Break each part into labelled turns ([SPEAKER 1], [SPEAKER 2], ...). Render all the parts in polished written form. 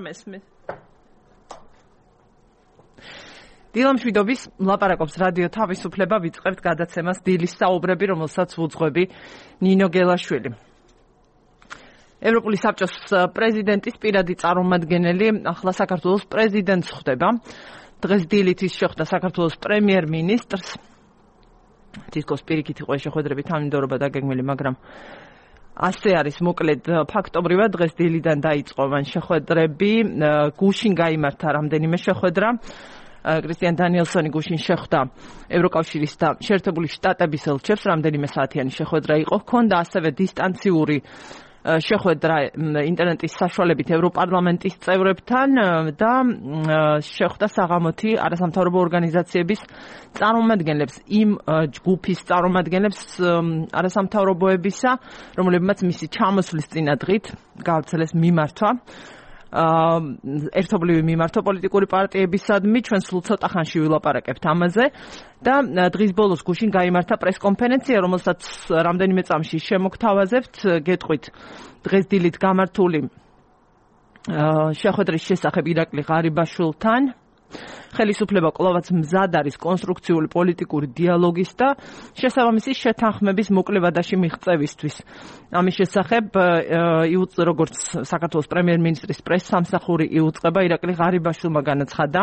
[SPEAKER 1] მესმის. დილამშვიდობის ლაპარაკობს რადიო თავისუფლება, ვიწყებთ გადაცემას დილის საუბრები, რომელსაც უძღვები ნინო გელაშვილი. ევროპული საბჭოს პრეზიდენტის პირადი წარმომადგენელი ახლა საქართველოს პრეზიდენტს ხვდება. დღეს დილით ის შეხვდა საქართველოს პრემიერ-მინისტრს. თითქოს პირიქით იყო შეხვედრები თანმიმდევრობა დაგეგმილი, მაგრამ ასე არის მოკლედ ფაქტობრივად დღეს დილიდან დაიწყო მან შეხვედრები. გუშინ გაიმართა რამდენიმე შეხვედრა. კრისტიან დანიელსონი გუშინ შეხვდა ევროკავშირის და შეერთებული შტატების ელჩებს, რამდენიმე საათიანი შეხვედრა იყო. ჰქონდა ასევე დისტანციური შეხვედრა ინტერნეტის საშუალებით ევროპარლამენტის წევრებთან და შეხვდა საღამოთი არასამთავრობო ორგანიზაციების წარმომადგენლებს, იმ ჯგუფის წარმომადგენლებს არასამთავრობოებისა, რომლებმაც მისი ჩამოსვლის წინადღით გაავრცელეს მიმართვა. ერთობლივი მიმართვა პოლიტიკური პარტიებისადმი, ჩვენ სულ ცოტა ხანში ვილაპარაკებთ ამაზე და დღის ბოლოს გუშინ გაიმართა პრესკონფერენცია, რომელსაც რამდენიმე წამში შემოგთავაზებთ. გეტყვით დღეს დილით გამართული შეხვედრის შესახებ ირაკლი ღარიბაშვილთან. ხელისუფლება კვლავაც მზად არის კონსტრუქციული პოლიტიკური დიალოგის და შესაბამისი შეთანხმების მოკლევადაში მიღწევისთვის. ამის შესახებ როგორც საქართველოს პრემიერ-მინისტრის პრესსამსახური იუწყება, ირაკლი ღარიბაშვილმა განაცხადა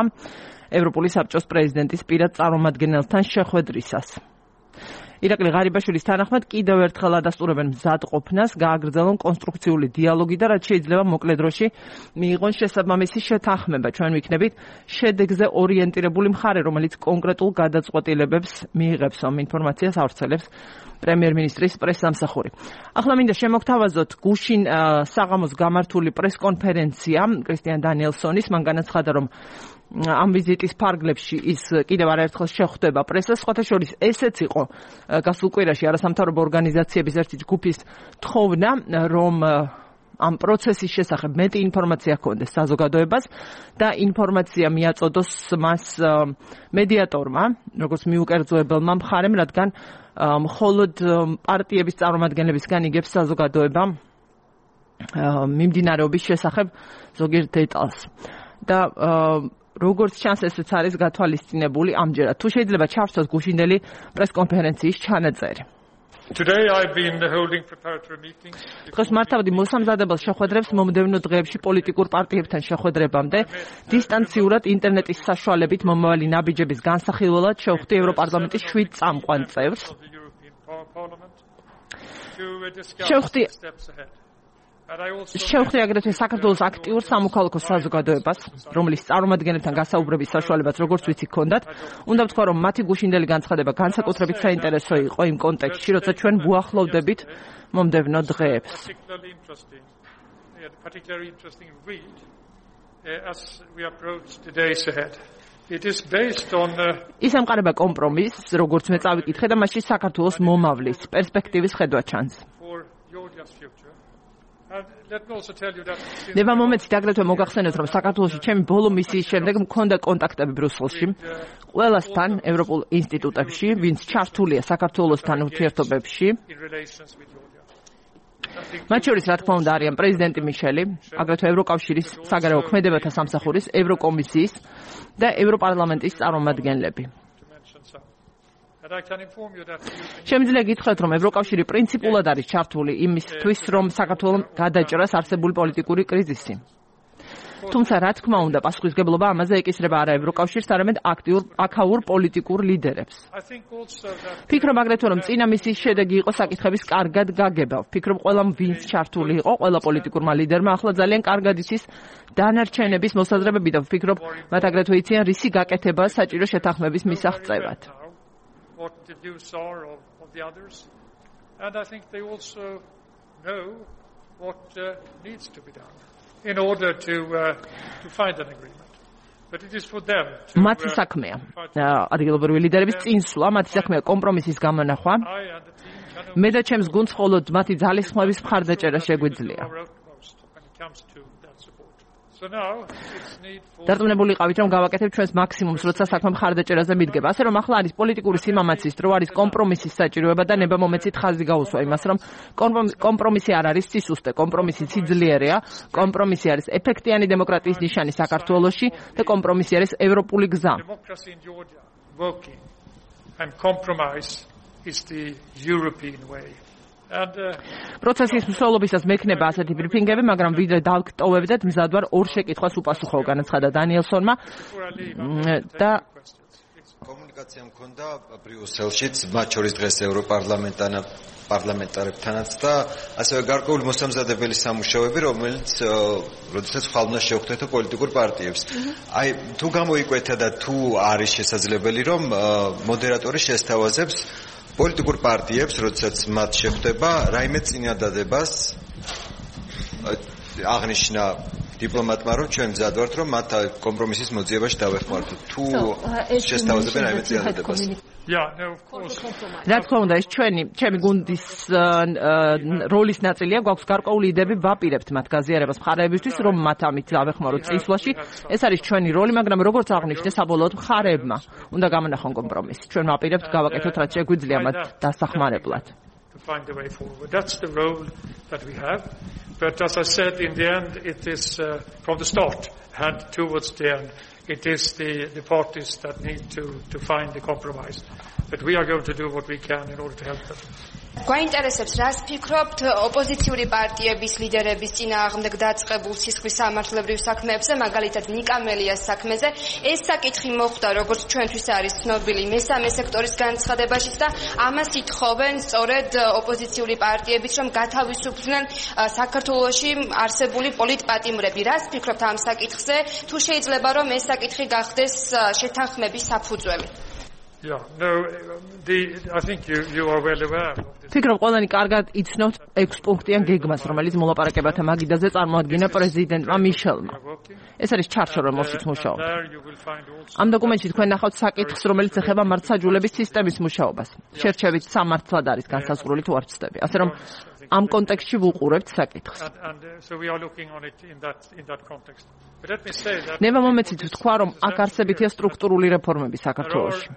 [SPEAKER 1] ევროპული საბჭოს პრეზიდენტის პირად წარმომადგენელთან შეხვედრისას. ირაკლი ღარიბაშვილის თანახმად კიდევ ერთხელ ადასტურებენ მზად ყოფნას, გააგრძელონ კონსტრუქციული დიალოგი და რაც შეიძლება მოკლე დროში მიიღონ შესაბამისი შეთანხმება. ჩვენ ვიქნებით შედეგზე ორიენტირებული მხარე, რომელიც კონკრეტულ გადაწყვეტილებებს მიიღებს. ინფორმაციას ავრცელებს პრემიერ-მინისტრის პრესსამსახური. ახლა მინდა შემოგთავაზოთ გუშინ საღამოს გამართული პრესკონფერენცია კრისტიან დანიელსონის. მან განაცხადა, რომ ამ ვიზიტის ფარგლებში ის კიდევ არაერთხელ შეხვდება პრესას. სხვათა შორის ესეც იყო გასულ კვირაში არასამთავრობო ორგანიზაციების ერთი ჯგუფის თხოვნა, რომ ამ პროცესის შესახებ მეტი ინფორმაცია ჰქონდეს საზოგადოებას და ინფორმაცია მიაწოდოს მას მედიატორმა, როგორც მიუკერძოებელმა მხარემ, რადგან მხოლოდ პარტიების წარმომადგენლებისგან იგებს საზოგადოება მიმდინარეობის შესახებ ზოგიერთ დეტალს. და როგორც ჩანს, ესეც არის გათვალისწინებული ამჯერად. თუ შეიძლება ჩავსვათ გუშინდელი პრესკონფერენციის ჩანაწერი. დღეს მართავდი მოსამზადებელ შეხვედრებს მომდევნო დღეებში პოლიტიკურ პარტიებთან შეხვედრებამდე. დისტანციურად ინტერნეტის საშუალებით მომავალი ნაბიჯების განსახილველად შევხვდი ევროპარლამენტის 7 წამყვან წევრს. შევხვდი აგრეთვე საქართველოს აქტიურ სამოქალაქო საზოგადოებას, რომლის წარმომადგენლებთან გასაუბრების საშუალებაც როგორც ვიცი ჰქონდათ. უნდა ვთქვა, რომ მათი გუშინდელი განცხადება განსაკუთრებით საინტერესო იყო იმ კონტექსტში, როცა ჩვენ ვუახლოვდებით მომდევნო დღეებს. ის ემყარება კომპრომისს, როგორც მე წავიკითხე და მასში საქართველოს მომავლის პერსპექტივის ხედვა ჩანს. ნება მომენტით აგრეთვე მოგახსენოთ, რომ საქართველოში ჩემი ბოლო მისიის შემდეგ მქონდა კონტაქტები ბრიუსელში ყველასთან ევროპულ ინსტიტუტებში, ვინც ჩართულია საქართველოსთან ურთიერთობებში. მათ შორის, რა თქმა უნდა, არიან პრეზიდენტი მიშელი, აგრეთვე ევროკავშირის საგარეო ქმედებათა სამსახურის, ევროკომისიის და ევროპარლამენტის წარმომადგენლები. შემიძლია გითხრათ, რომ ევროკავშირი პრინციპულად არის ჩართული იმისთვის, რომ საქართველოს გადაჭრას არსებული პოლიტიკური კრიზისი. თუმცა, რა თქმა უნდა, პასუხისგებლობა ამაზე ეკისრება არა ევროკავშირს, არამედ აქაურ პოლიტიკურ ლიდერებს. ვფიქრობ აგრეთვე, რომ წინა მისიის შედეგი იყო საკითხების კარგად გაგება. ვფიქრობ, ყველამ ვინც ჩართული იყო, ყველა პოლიტიკურმა ლიდერმა ახლა ძალიან კარგად იცის დანარჩენების მოსაზრებები და ვფიქრობ, მათ აგრეთვე იციან რისი გაკეთება საჭირო შეთანხმების მისაღწევად. What the views are of the others, and I think they also know what needs to be done in order to find an agreement. But it is for them to მათი საქმეა ადგილობრივი ლიდერების წინსვლა, მათი საქმეა კომპრომისის გამონახვა. მე და ჩემს გუნდს მხოლოდ მათი ძალისხმევის მხარდაჭერა შეგვიძლია. დარწმუნებული იყავით, რომ გავაკეთებ ჩვენს მაქსიმუმს, როცა საქმე მხარდაჭერაზე მიდგება. ასე რომ ახლა არის პოლიტიკური სიმამაცის დრო, არის კომპრომისის საჭიროება და ნება მომეცით ხაზი გაუსვა იმას, რომ კომპრომისი არ არის სისუსტე, კომპრომისი სიძლიერეა, კომპრომისი არის ეფექტიანი დემოკრატიის ნიშანი საქართველოში და კომპრომისი არის ევროპული გზა.
[SPEAKER 2] And compromise is the European way.
[SPEAKER 1] პროცესის მსვლელობისას მექნება ასეთი ბრიფინგები, მაგრამ ვიდრე დავტოვებდეთ, მზად ვარ ორ შეკითხვას უპასუხო, განაცხადა დანიელსონმა და
[SPEAKER 3] კომუნიკაცია მქონდა ბრიუსელშიც, მათ შორის დღეს ევროპარლამენტარებთანაც და ასევე გარკვეული მოსამზადებელი სამუშაოები, რომელიც როდესაც ხალხმა შეხვდეთო პოლიტიკურ პარტიებს. აი, თუ გამოიკვეთა და თუ არის შესაძლებელი, რომ მოდერატორი შესთავაზებს პოლიტიკურ პარტიებს, როდესაც მათ შეხვდება, რაიმე წინადადებას აღნიშნა დიპლომატმა, რომ ჩვენ მზად ვართ, რომ მათ კომპრომისის მოძიებაში დავეხმაროთ. თუ შესთავაზებენ რაიმე წინადადებას.
[SPEAKER 1] რა თქმა უნდა, ეს ჩემი გუნდის როლის ნაწილია, გვაქვს გარკვეული იდეები, ვაპირებთ მათ გაზიარებას მხარეებისთვის, რომ მათ ამით დავეხმაროთ წინსვლაში. ეს არის ჩვენი როლი, მაგრამ როგორც აღნიშნე, საბოლოოდ მხარეებმა უნდა გამონახონ კომპრომისი. ჩვენ ვაპირებთ გავაკეთოთ რაც შეგვიძლია მათ დასახმარებლად.
[SPEAKER 2] That's the role that we have. But as I said, in the end, it is from the start and towards the end, it is the parties that need to find the compromise. But we are going to do what we can in order to help them.
[SPEAKER 4] გვაინტერესებს რას ფიქრობთ ოპოზიციური პარტიების ლიდერების წინააღმდეგ დაწყებულ სისხლის სამართლებრივ საქმეებზე, მაგალითად ნიკამელიას საქმეზე. ეს საკითხი მოხდა, როგორც ჩვენთვის არის ცნობილი, მესამე სექტორის განცხადებაშიც და ამას ითხოვენ სწორედ ოპოზიციური პარტიებიც, რომ გათავისუფლდნენ საქართველოში არსებული პოლიტპატიმრები. რას ფიქრობთ ამ საკითხზე? თუ შეიძლება რომ ეს საკითხი გახდეს შეთანხმების საფუძველი?
[SPEAKER 2] Yeah, no, I think you are well aware.
[SPEAKER 1] ფიქრობ, ყველანი კარგად იცნობთ 6 პუნქტიან გეგმას, რომელიც მოლაპარაკებათა მაგიდაზე წარმოადგინა პრეზიდენტმა მიშელმა. ეს არის ჩარჩო, რომელშიც მუშაობ. ამ დოკუმენტში თქვენ ნახავთ საკითხს, რომელიც ეხება მართლმსაჯულების სისტემის მუშაობას. შერჩევით სამართლად არის განსაზღვრული თუ არ ვცდები. ასე რომ ამ კონტექსტში ვუყურებთ საკითხს. ნება მომეცით ვთქვა, რომ აქ არსებითია სტრუქტურული რეფორმები საქართველოში.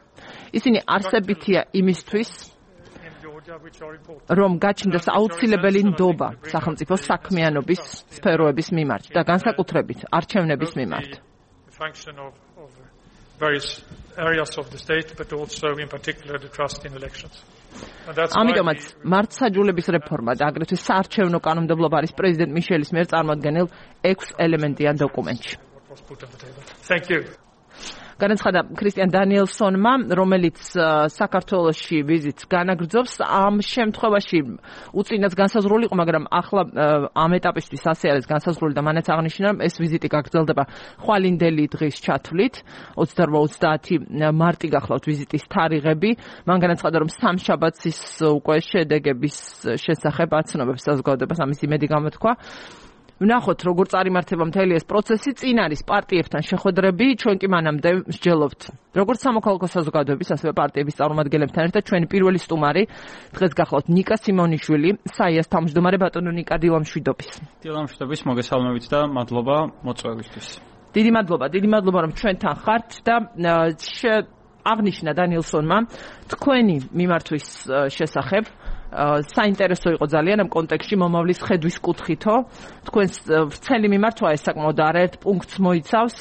[SPEAKER 1] ისინი არსებითია იმისთვის, რომ გაჩნდეს აუცილებელი ნდობა სახელმწიფო საქმიანობის სფეროების მიმართ და განსაკუთრებით არჩევნების მიმართ. ამიტომაც მართლმსაჯულების რეფორმა და აგრეთვე საარჩევნო კანონმდებლობა არის პრეზიდენტ მიშელის მიერ წარმოდგენილ 6 ელემენტიან დოკუმენტში. განაცხადა ქრისტიან დანიელსონმა, რომელიც საქართველოში ვიზიტს განაგრძობს. ამ შემთხვევაში უწინაც განსაზღვრული იყო, მაგრამ ახლა ამ ეტაპისთვის ასე არის განსაზღვრული და მანაც აღნიშნა, რომ ეს ვიზიტი გაგრძელდება ხვალინდელი დღის ჩათვლით. 28-30 მარტი გახლავთ ვიზიტის თარიღები. მან განაცხადა, რომ სამშაბათს ის უკვე შედეგების შესახებ აცნობებს საზოგადოებას, ამის იმედი გამოთქვა. ვნახოთ, როგორ წარიმართება მთელი ეს პროცესი, წინ არის პარტიებთან შეხვედრები, ჩვენ კი მანამდე მსჯელობთ. როგორც სამოქალაქო საზოგადოების, ასევე პარტიების წარმომადგენლებთან ერთად ჩვენი პირველი სტუმარი დღეს გახლავთ ნიკა სიმონიშვილი, საიას თავმჯდომარე ბატონო ნიკა დილამშვიდობის.
[SPEAKER 5] დილამშვიდობის, მოგესალმებით და მადლობა მოწვევისთვის.
[SPEAKER 1] დიდი მადლობა, რომ ჩვენთან ხართ და აღნიშნა დანიელსონმა თქვენი მიმართვის შესახებ საინტერესო იყო ძალიან ამ კონტექსტში მომავლის ხედვის კუთხითო. თქვენს ვრცელი მიმართვა ეს საკმაოდ არაერთ პუნქტს მოიცავს.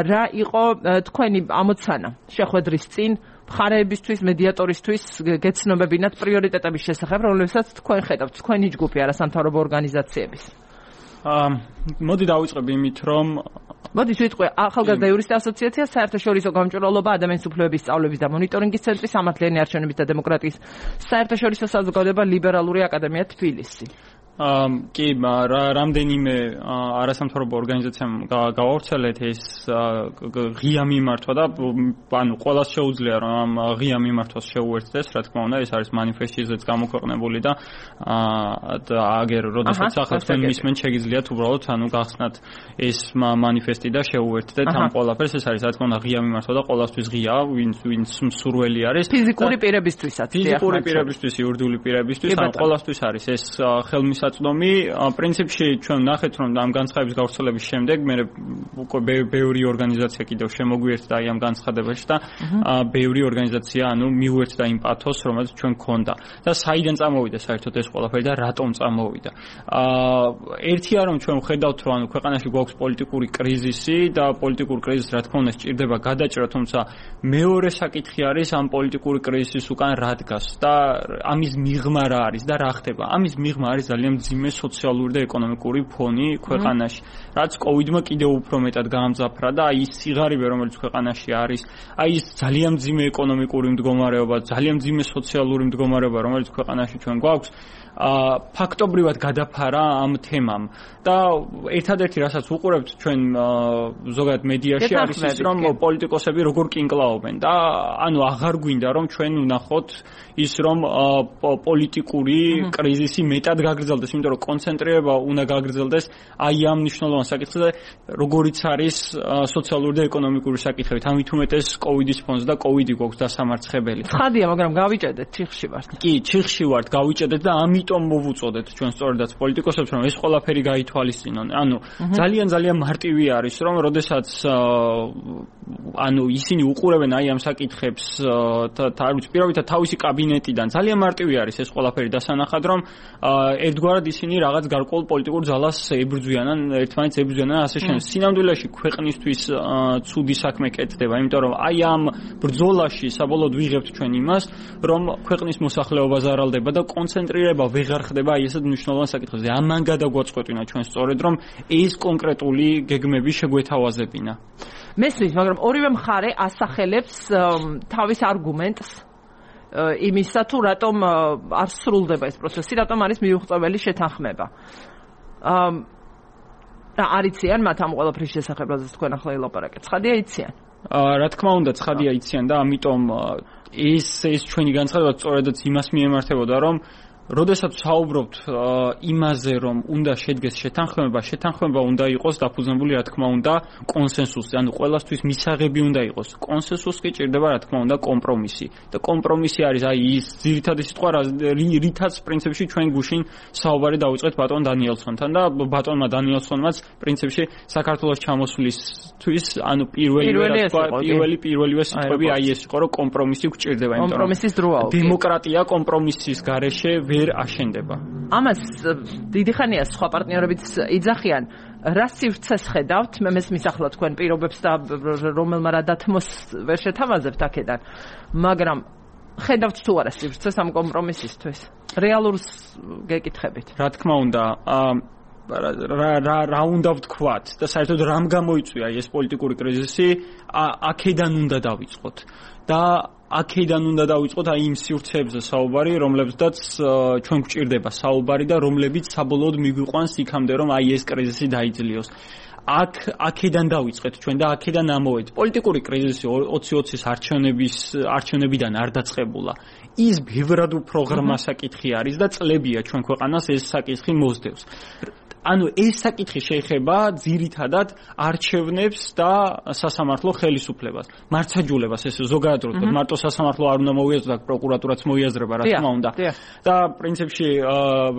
[SPEAKER 1] რა იყო თქვენი ამოცანა შეხვედრის წინ მხარეებისთვის, მედიატორისთვის გეცნობებინათ პრიორიტეტების შესახებ, რომლებსაც თქვენ ხედავთ, თქვენი ჯგუფი არასამთავრობო ორგანიზაციების?
[SPEAKER 5] მოდი დავიწყებ იმით, რომ
[SPEAKER 1] მოდით ვიტყვი ახალგაზრდა იურისტთა ასოციაცია, საერთაშორისო გამჭვირვალობა, ადამიანის უფლებების სწავლების და მონიტორინგის ცენტრი, სამართლიანი არჩევნების და დემოკრატიის საერთაშორისო საზოგადოება, ლიბერალური აკადემია თბილისი.
[SPEAKER 5] კი, რამდენიმე არასამთავრობო ორგანიზაციამ გავავრცელეთ ეს ღია მიმართვა და ანუ ყველას შეუძლია რომ ამ ღია მიმართვას შეუერთდეს, რა თქმა უნდა, ეს არის მანიფესტიზეც გამოქვეყნებული და აგერ როდესაც ახლა თქვენ მისმენთ შეგიძლიათ უბრალოდ ანუ გახსნათ ეს მანიფესტი და შეუერთდეთ ამ ყველაფერს, ეს არის რა თქმა უნდა ღია მიმართვა და ყველასთვის ღია, ვინც მსურველი არის.
[SPEAKER 1] ფიზიკური პირებისთვისაც,
[SPEAKER 5] ფიზიკური პირებისთვის, იურიდიული პირებისთვის, ან ყველასთვის არის ეს ხელმისაწვდომი საწდომი. პრინციპში ჩვენ ნახეთ, რომ ამ განცხადების გავრცელების შემდეგ მე უკვე ბევრი ორგანიზაცია კიდევ შემოგვიერთდა აი ამ განცხადებაში და ბევრი ორგანიზაცია მიუერთდა იმ პათოსს, რომელიც ჩვენ გქონდა. და საიდან წამოვიდა საერთოდ ეს ყველაფერი და რატომ წამოვიდა? ერთია რომ ჩვენ ვხედავთ, რომ ქვეყანაში გვაქვს პოლიტიკური კრიზისი და პოლიტიკურ კრიზისს რა თქმა უნდა სჭირდება გადაჭრა, თუმცა მეორე საკითხი არის ამ პოლიტიკური კრიზისის უკან რა დგას და ამის მიღმა რა არის და რა ხდება. ამის მიღმა არის ძალიან მძიმე სოციალური და ეკონომიკური ფონი ქვეყანაში, რაც კოვიდმა კიდევ უფრო მეტად გაამძაფრა და აი ის სიღარიბე, რომელიც ქვეყანაში არის, აი ის ძალიან მძიმე ეკონომიკური მდგომარეობა, ძალიან მძიმე სოციალური მდგომარეობა, რომელიც ქვეყანაში ჩვენ გვაქვს, ფაქტობრივად გადაფარა ამ თემამ და ერთადერთი რასაც უყურებთ ჩვენ ზოგადად მედიაში არის ის, რომ პოლიტიკოსები როგორ კინკლაობენ და ანუ აღარ გვინდა რომ ჩვენ ვნახოთ ის რომ პოლიტიკური კრიზისი მეტად გაგრძელდეს, იმიტომ რომ კონცენტრირება უნდა გაგრძელდეს აი ამ მნიშვნელოვან საკითხზე, როგორიც არის სოციალური და ეკონომიკური საკითხებით. ამით უმეტეს კოვიდის ფონზე და კოვიდი გვაქვს დასამარცხებელი.
[SPEAKER 1] ცხადია, მაგრამ გავიჭედეთ, ჩიხში ვართ.
[SPEAKER 5] კი, ჩიხში ვართ, გავიჭედეთ და ამიტომ მოვუწოდეთ ჩვენ სწორედაც პოლიტიკოსებს, რომ ეს ყველაფერი გაითვალისწინონ. ანუ ძალიან მარტივი არის, რომ როდესაც ისინი უყურებენ აი ამ საკითხებს პირობითად თავისი კაბინეტიდან, ძალიან მარტივი არის ეს ყველაფერი დასანახად, რომ ერთგვარად ისინი რაღაც გარკვეულ პოლიტიკურ ძალას ებრძვიან, ერთმანეთს ებრძვიან, ასე შემდეგ. სინამდვილეში ქვეყნისთვის ცუდი საქმე კეთდება, იმიტომ რომ აი ამ ბრძოლაში საბოლოოდ ვიღებთ ჩვენ იმას, რომ ქვეყნის მოსახლეობა ზარალდება და კონცენტრირება ვეღარ ხდება აი ესეთ მნიშვნელოვან საკითხებზე. ამან გადაგვაწყვეტინა ჩვენ სწორედ, რომ ეს კონკრეტული გეგმები შეგვეთავაზებინა.
[SPEAKER 1] მესმის, მაგრამ ორივე მხარე ასახელებს თავის არგუმენტს იმისა, თუ რატომ არ სრულდება ეს პროცესი, რატომ არის მიუღწეველი შეთანხმება. არ იციან მათ ამ ყველაფრის შესახებ, როდესაც თქვენ ახლა ელაპარაკეთ. ცხადია იციან.
[SPEAKER 5] რა თქმა უნდა, ცხადია იციან და ამიტომ ეს ჩვენი განცხადება სწორედაც იმას მიემართებოდა, რომ როდესაც საუბრობთ იმაზე, რომ უნდა შედგეს შეთანხმება უნდა იყოს დაფუძნებული, რა თქმა უნდა, კონსენსუსზე, ანუ ყველასთვის მისაღები უნდა იყოს. კონსენსუსს კი ჭირდება, რა თქმა უნდა, კომპრომისი. და კომპრომისი არის აი ის ძირითადი სიტყვა, რითაც პრინციპში ჩვენ გუშინ საუბარი დავიწყეთ ბატონ დანიელსონთან და ბატონმა დანიელსონმაც პრინციპში საქართველოს ჩამოსვლისთვის, ანუ პირველივე სიტყვები აი ეს იყო, რომ კომპრომისი გვჭირდება, იმიტომ რომ
[SPEAKER 1] კომპრომისის დროა.
[SPEAKER 5] დემოკრატია კომპრომისის გარეშე ვერ აშენდება.
[SPEAKER 1] ამას დიდი ხანია სხვა პარტნიორებიც იძახიან. რა სივრცეს ხედავთ? მე მესმის ახლა თქვენ პირობებს და რომელმა რა დათმოს ვერ შეთავაზებთ აქედან. მაგრამ ხედავთ თუ არა სივრცეს ამ კომპრომისისთვის? რეალურს გეკითხებით.
[SPEAKER 5] რა თქმა უნდა, რა უნდა ვთქვათ და საერთოდ რამ გამოიწვია ეს პოლიტიკური კრიზისი, აქედან უნდა დავიწყოთ. და აქედან უნდა დავიწყოთ აი იმ სივრცეებზე საუბარი, რომლებზეც ჩვენ გვჭირდება საუბარი და რომლებიც საბოლოოდ მიგვიყვანს იქამდე, რომ აი ეს კრიზისი დაიძლიოს. აქედან დავიწყეთ ჩვენ და აქედან ამოვედით. პოლიტიკური კრიზისი 2020-ის არჩევნებიდან არ დაწყებულა. ის ბევრად უფრო ღრმა საკითხი არის და წლებია ჩვენ ქვეყანას ეს საკითხი მოსდევს. ანუ ეს საკითხი შეეხება ძირითადად არჩევნებს და სასამართლო ხელისუფლებას, მართლმსაჯულებას, ეს ზოგადად რო ვთქვათ, მარტო სასამართლო არ უნდა მოიაზროს, პროკურატურაც მოიაზრება, რა თქმა უნდა. და პრინციპში,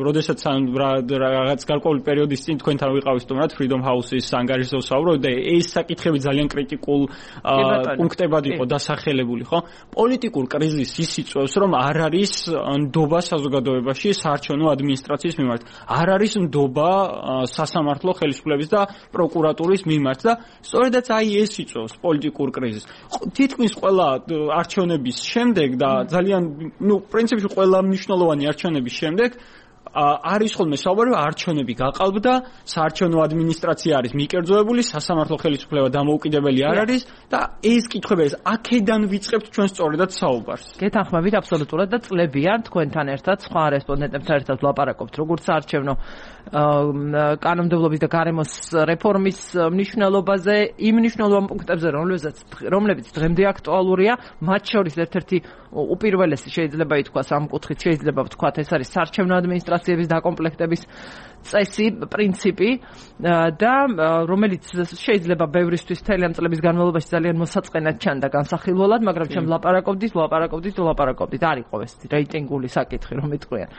[SPEAKER 5] როდესაც რაღაც გარკვეული პერიოდის წინ თქვენთან ვიყავით სტუმრად Freedom House-ის ანგარიშზე ვსაუბრობ და ეს საკითხები ძალიან კრიტიკულ პუნქტებად იყო დასახელებული, ხო? პოლიტიკურ კრიზისს ის იწვევს, რომ არ არის ნდობა საზოგადოებაში საარჩევნო ადმინისტრაციის მიმართ. არ არის ნდობა სასამართლო ხელისუფლების და პროკურატურის მიმართ და სწორედაც აი ეს იწვევს პოლიტიკურ კრიზისს. თითქმის ყველა არჩევნების შემდეგ და ძალიან, პრინციპში ყველა მნიშვნელოვანი არჩევნების შემდეგ არის ხოლმე საუბარი, არჩევნები გაყალბდა, საარჩევნო ადმინისტრაცია არის მიკერძოებული, სასამართლო ხელისუფლება დამოუკიდებელი არ არის და ეს კითხვები აქედან ვიწყებთ ჩვენ სწორედად საუბარს.
[SPEAKER 1] გეთანხმებით აბსოლუტურად და წლებია თქვენთან ერთად სხვა რესპონდენტებთან ერთად ვლაპარაკობთ, როგორც საარჩევნო კანონმდებლობის და გარემოს რეფორმის მნიშვნელობაზე, იმ მნიშვნელოვან პუნქტებზე, რომლებიც დღემდე აქტუალურია, მათ შორის ერთ-ერთი უპირველესი შეიძლება ითქვას ამ კუთხით, შეიძლება ვთქვათ, ეს არის საარჩევნო ადმინისტრაციების დაკომპლექტების წესი, პრინციპი და რომელიც შეიძლება ბევრისთვის მთელი ამ წლების განმავლობაში ძალიან მოსაწყენად ჩანდა განსახილველად, მაგრამ ჩვენ ვლაპარაკობდით, არ იყო ეს რეიტინგული საკითხი, რომ იტყვიან.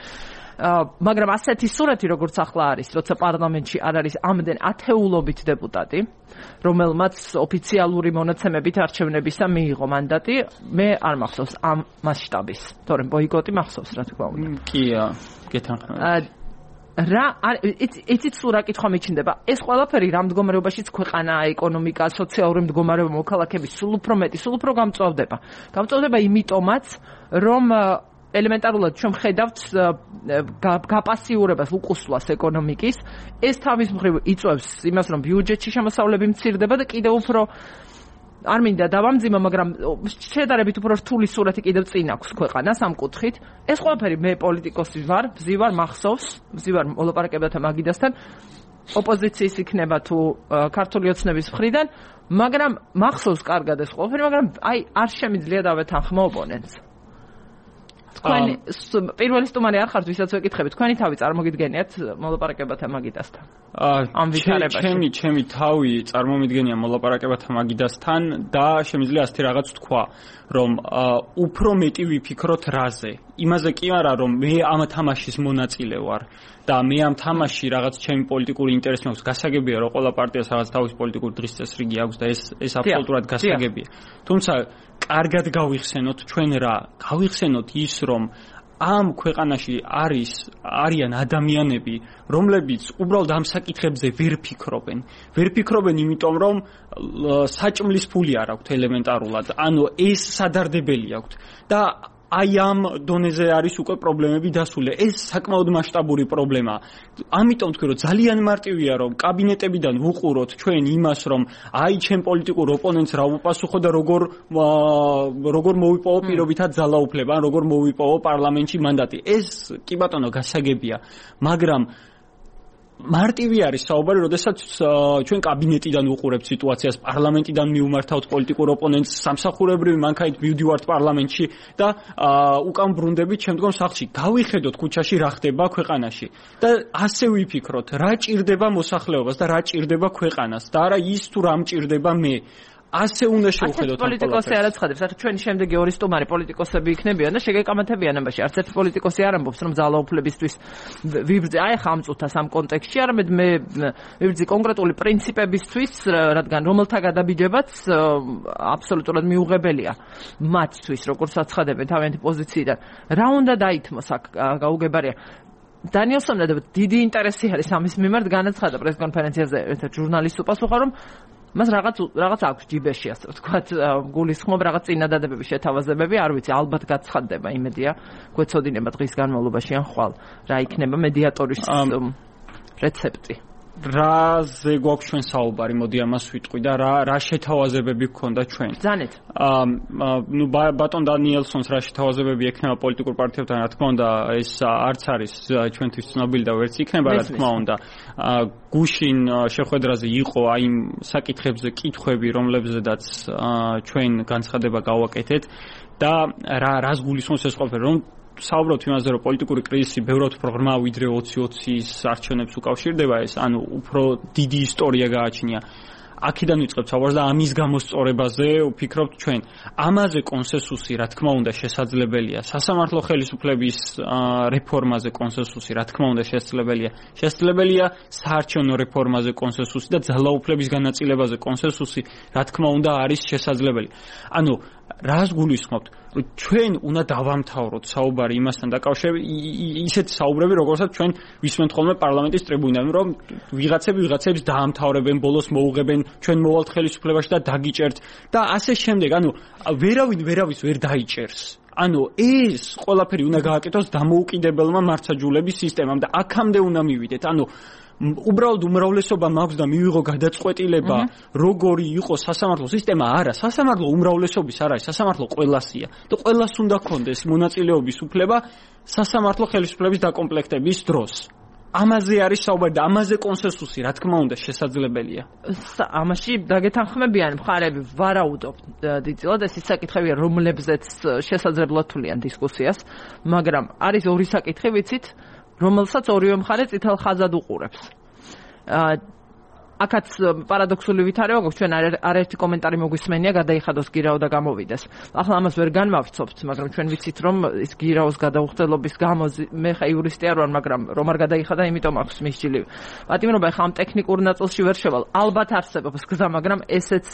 [SPEAKER 1] მაგრამ ასეთი სურათი როგორც ახლა არის, როცა პარლამენტში არ არის ამდენ ათეულობით დეპუტატი, რომელმაც ოფიციალური მონაცემებით არჩევნებისა მიიღო მანდატი, მე არ მახსოვს ამ მასშტაბის, თორემ ბოიკოტი მახსოვს, რა თქმა უნდა.
[SPEAKER 5] კია, გეთანხმებით.
[SPEAKER 1] იცით სულ რა კითხვა მიჩნდება? ეს ყველაფერი რა მდგომარეობაშიც ქვეყანაა, ეკონომიკა, სოციალური მდგომარეობა, მოქალაქეების სულ უფრო მეტი, სულ უფრო გამწვავდება. გამწვავდება იმიტომაც, რომ ელემენტარულად ჩვენ ხედავთ გაპასიურებას, უკუსლას ეკონომიკის. ეს თავის მხრივ იწვევს იმას, რომ ბიუჯეტში შემოსავლები მცირდება და კიდევ უფრო არ მინდა დავამძიმო, მაგრამ შედარებით უფრო რთული სურათი კიდევ წინ აქვს ქვეყანას ამ კუთხით. ეს ყველაფერი მე პოლიტიკოსი ვარ, ვზივარ მახსოვს მოლაპარაკებათა მაგიდასთან, ოპოზიციის იქნება თუ ქართული ოცნების მხრიდან, მაგრამ მახსოვს კარგად ეს ყველაფერი, მაგრამ არ შემიძლია დავეთანხმო ოპონენტს. თქვენი პირველი სტუმარი არ ხართ, ვისაც ვეკითხებით, თქვენი თავი წარმოგიდგენიათ მოლაპარაკებათა მაგიდასთან? ამ ვითარებაში.
[SPEAKER 5] ჩემი თავი წარმომიდგენია მოლაპარაკებათა მაგიდასთან და შემიძლია ასეთი რაღაც თქვა, რომ უფრო მეტი ვიფიქროთ რაზე. იმაზე კი არა, რომ მე ამ თამაშის მონაწილე ვარ და მე ამ თამაში რაღაც ჩემი პოლიტიკური ინტერესი მაქვს. გასაგებია, რომ ყველა პარტიას რაღაც თავის პოლიტიკური დღის წესრიგი აქვს და ეს აბსოლუტურად გასაგებია. თუმცა კარგად გავიხსენოთ ჩვენ რა, გავიხსენოთ ის, რომ ამ ქვეყანაში არიან ადამიანები, რომლებიც უბრალოდ ამ საკითხებზე ვერ ფიქრობენ, იმიტომ რომ საჭმლის ფული არ აქვთ ელემენტარულად, ანუ ეს სადარდებელი აქვთ და აი ამ დონეზე არის უკვე პრობლემები დასული. ეს საკმაოდ მასშტაბური პრობლემაა. ამიტომ თქვი, რომ ძალიან მარტივია, რომ კაბინეტებიდან ვუყუროთ ჩვენ იმას, რომ აი ჩემ პოლიტიკურ ოპონენტს რა უპასუხო და როგორ მოვიპოვო პირობითად ძალაუფლება, ან როგორ მოვიპოვო პარლამენტში მანდატი. ეს კი ბატონო გასაგებია, მაგრამ მარტივი არის საუბარი, როდესაც ჩვენ კაბინეტიდან ვუყურებთ სიტუაციას, პარლამენტიდან მივმართავთ პოლიტიკურ ოპონენტს, სამსახურებრივი მანქანით მივდივართ პარლამენტში და უკან ბრუნდებით შემდგომ სახლში. გავიხედოთ ქუჩაში რა ხდება ქვეყანაში და ასე ვიფიქროთ, რა ჭირდება მოსახლეობას და რა ჭირდება ქვეყანას და არა ის თუ რა მჭირდება მე. ასე უნდა შევხედოთ ამ
[SPEAKER 1] პოლიტიკოსი არ აცხადებს, ახლა ჩვენი შემდეგი ორი სტუმარი პოლიტიკოსები იქნებიან და შეგეკამათებიან ამაში. არც ერთი პოლიტიკოსი არ ამბობს, რომ ძალაუფლებისთვის ვიბრძე, აი ახლა ამ წუთას ამ კონტექსტში, არამედ მე ვიბრძე კონკრეტული პრინციპებისთვის, რადგან რომელთა გადაბიჯებაც აბსოლუტურად მიუღებელია მათთვის, როგორც აცხადებენ თავიანთი პოზიციიდან. რა უნდა დაითმოს აქ გაუგებარია. დანიელსონმა დიდი ინტერესი არის ამის მიმართ, განაცხადა პრესკონფერენციაზე ერთ ჟურნალისტს უპასუხა, რომ მას რაღაც აქვს ჯიბეში, ასე ვთქვათ, გულისხმობ რაღაც წინადადებები, შეთავაზებები, არ ვიცი, ალბათ გაცხადდება, იმედია, გვეცოდინება დღის განმავლობაში ან ხვალ, რა იქნება მედიატორის რეცეპტი.
[SPEAKER 5] რაზე გვაქვს ჩვენ საუბარი, მოდი ამას ვიტყვი და რა შეთავაზებები გქონდა ჩვენ.
[SPEAKER 1] ბრძანეთ.
[SPEAKER 5] ნუ ბატონ დანიელსონს რა შეთავაზებები ექნება პოლიტიკურ პარტიებთან, რა თქმა უნდა, ეს არც არის ჩვენთვის ცნობილი და ვერც იქნება, რა თქმა უნდა. გუშინ შეხვედრაზე იყო აი იმ საკითხებზე კითხვები, რომლებზედაც ჩვენ განცხადება გავაკეთეთ და რას გულისხმობს ეს ყველაფერი, რომ საუბრობთ იმაზე, რომ პოლიტიკური კრიზისი ბევრად უფრო ღრმა ვიდრე 2020-ის არჩევნებს უკავშირდება ეს, ანუ უფრო დიდი ისტორია გააჩნია. აქედან ვიწყებთ საუბარს და ამის გამოსწორებაზე ვფიქრობთ ჩვენ. ამაზე კონსენსუსი, რა თქმა უნდა, შესაძლებელია. სასამართლო ხელისუფლების რეფორმაზე კონსენსუსი, რა თქმა უნდა, შესაძლებელია. შესაძლებელია საარჩევნო რეფორმაზე კონსენსუსი და ძალაუფლების განაწილებაზე კონსენსუსი, რა თქმა უნდა, არის შესაძლებელი. ანუ რას გულისხმობთ? რომ ჩვენ უნდა დავამთავროთ საუბარი იმასთან დაკავშირებით, ისეთი საუბრები, როგორცაც ჩვენ ვისმენთ ხოლმე პარლამენტის ტრიბუნიდან, რომ ვიღაცებს დაამთავრებენ, ბოლოს მოუღებენ, ჩვენ მოვალთ ხელისუფლებაში და დაგიჭერთ და ასე შემდეგ. ანუ ვერავის ვერ დაიჭერს. ანუ ეს ყველაფერი უნდა გააკეთოს დამოუკიდებელმა მართლმსაჯულების სისტემამ და აქამდე უნდა მივიდეთ. ანუ უბრალოდ უმრავლესობა მაქვს და მივიღო გადაწყვეტილება, როგორი იყოს სასამართლო სისტემა, არა, სასამართლო უმრავლესობის არ არის, სასამართლო ყველასია და ყველას უნდა ქონდეს მონაწილეობის უფლება სასამართლო ხელისუფლების დაკომპლექტების დროს. ამაზე არის საუბარი და ამაზე კონსენსუსი, რა თქმა უნდა, შესაძლებელია.
[SPEAKER 1] ამაში დაგეთანხმებიან მხარები, ვარაუდობ დიდწილად, ეს ის საკითხებია, რომლებზეც შესაძლებლად თვლიან დისკუსიას, მაგრამ არის ორი საკითხი, ვიცით, რომელსაც ორივე მხარე წითელ ხაზად უყურებს. აქაც პარადოქსული ვითარება გვაქვს, ჩვენ არაერთი კომენტარი მოგვისმენია, გადაიხადოს გირაო და გამოვიდეს. ახლა ამას ვერ განვავცობთ, მაგრამ ჩვენ ვიცით, რომ ის გირაოს გადაუხდელობის გამო მე ხა იურისტი არ ვარ, მაგრამ რომ არ გადაიხადა, იმიტომ აქვს მისჯილი. პატიმრობა ხა ამ ტექნიკურ ნაწილში ვერ შევალ. ალბათ არსებობს გზა, მაგრამ ესეც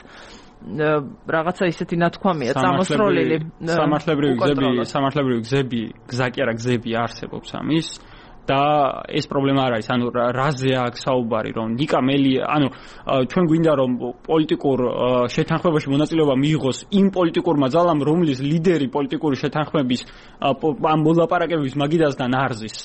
[SPEAKER 1] რაღაცა ისეთი ნათქვამია, წამოსროლილი.
[SPEAKER 5] სამართლებრივი გზები, გზა კი არა, გზები არსებობს ამის. და ეს პრობლემა არ არის, ანუ რაზე აქვს საუბარი, რომ ნიკა მელი, ანუ ჩვენ გვინდა რომ პოლიტიკურ შეთანხმებაში მონაწილეობა მიიღოს იმ პოლიტიკურმა ძალამ, რომლის ლიდერი პოლიტიკური შეთანხმების ამ მოლაპარაკებების მაგიდასთან არზის.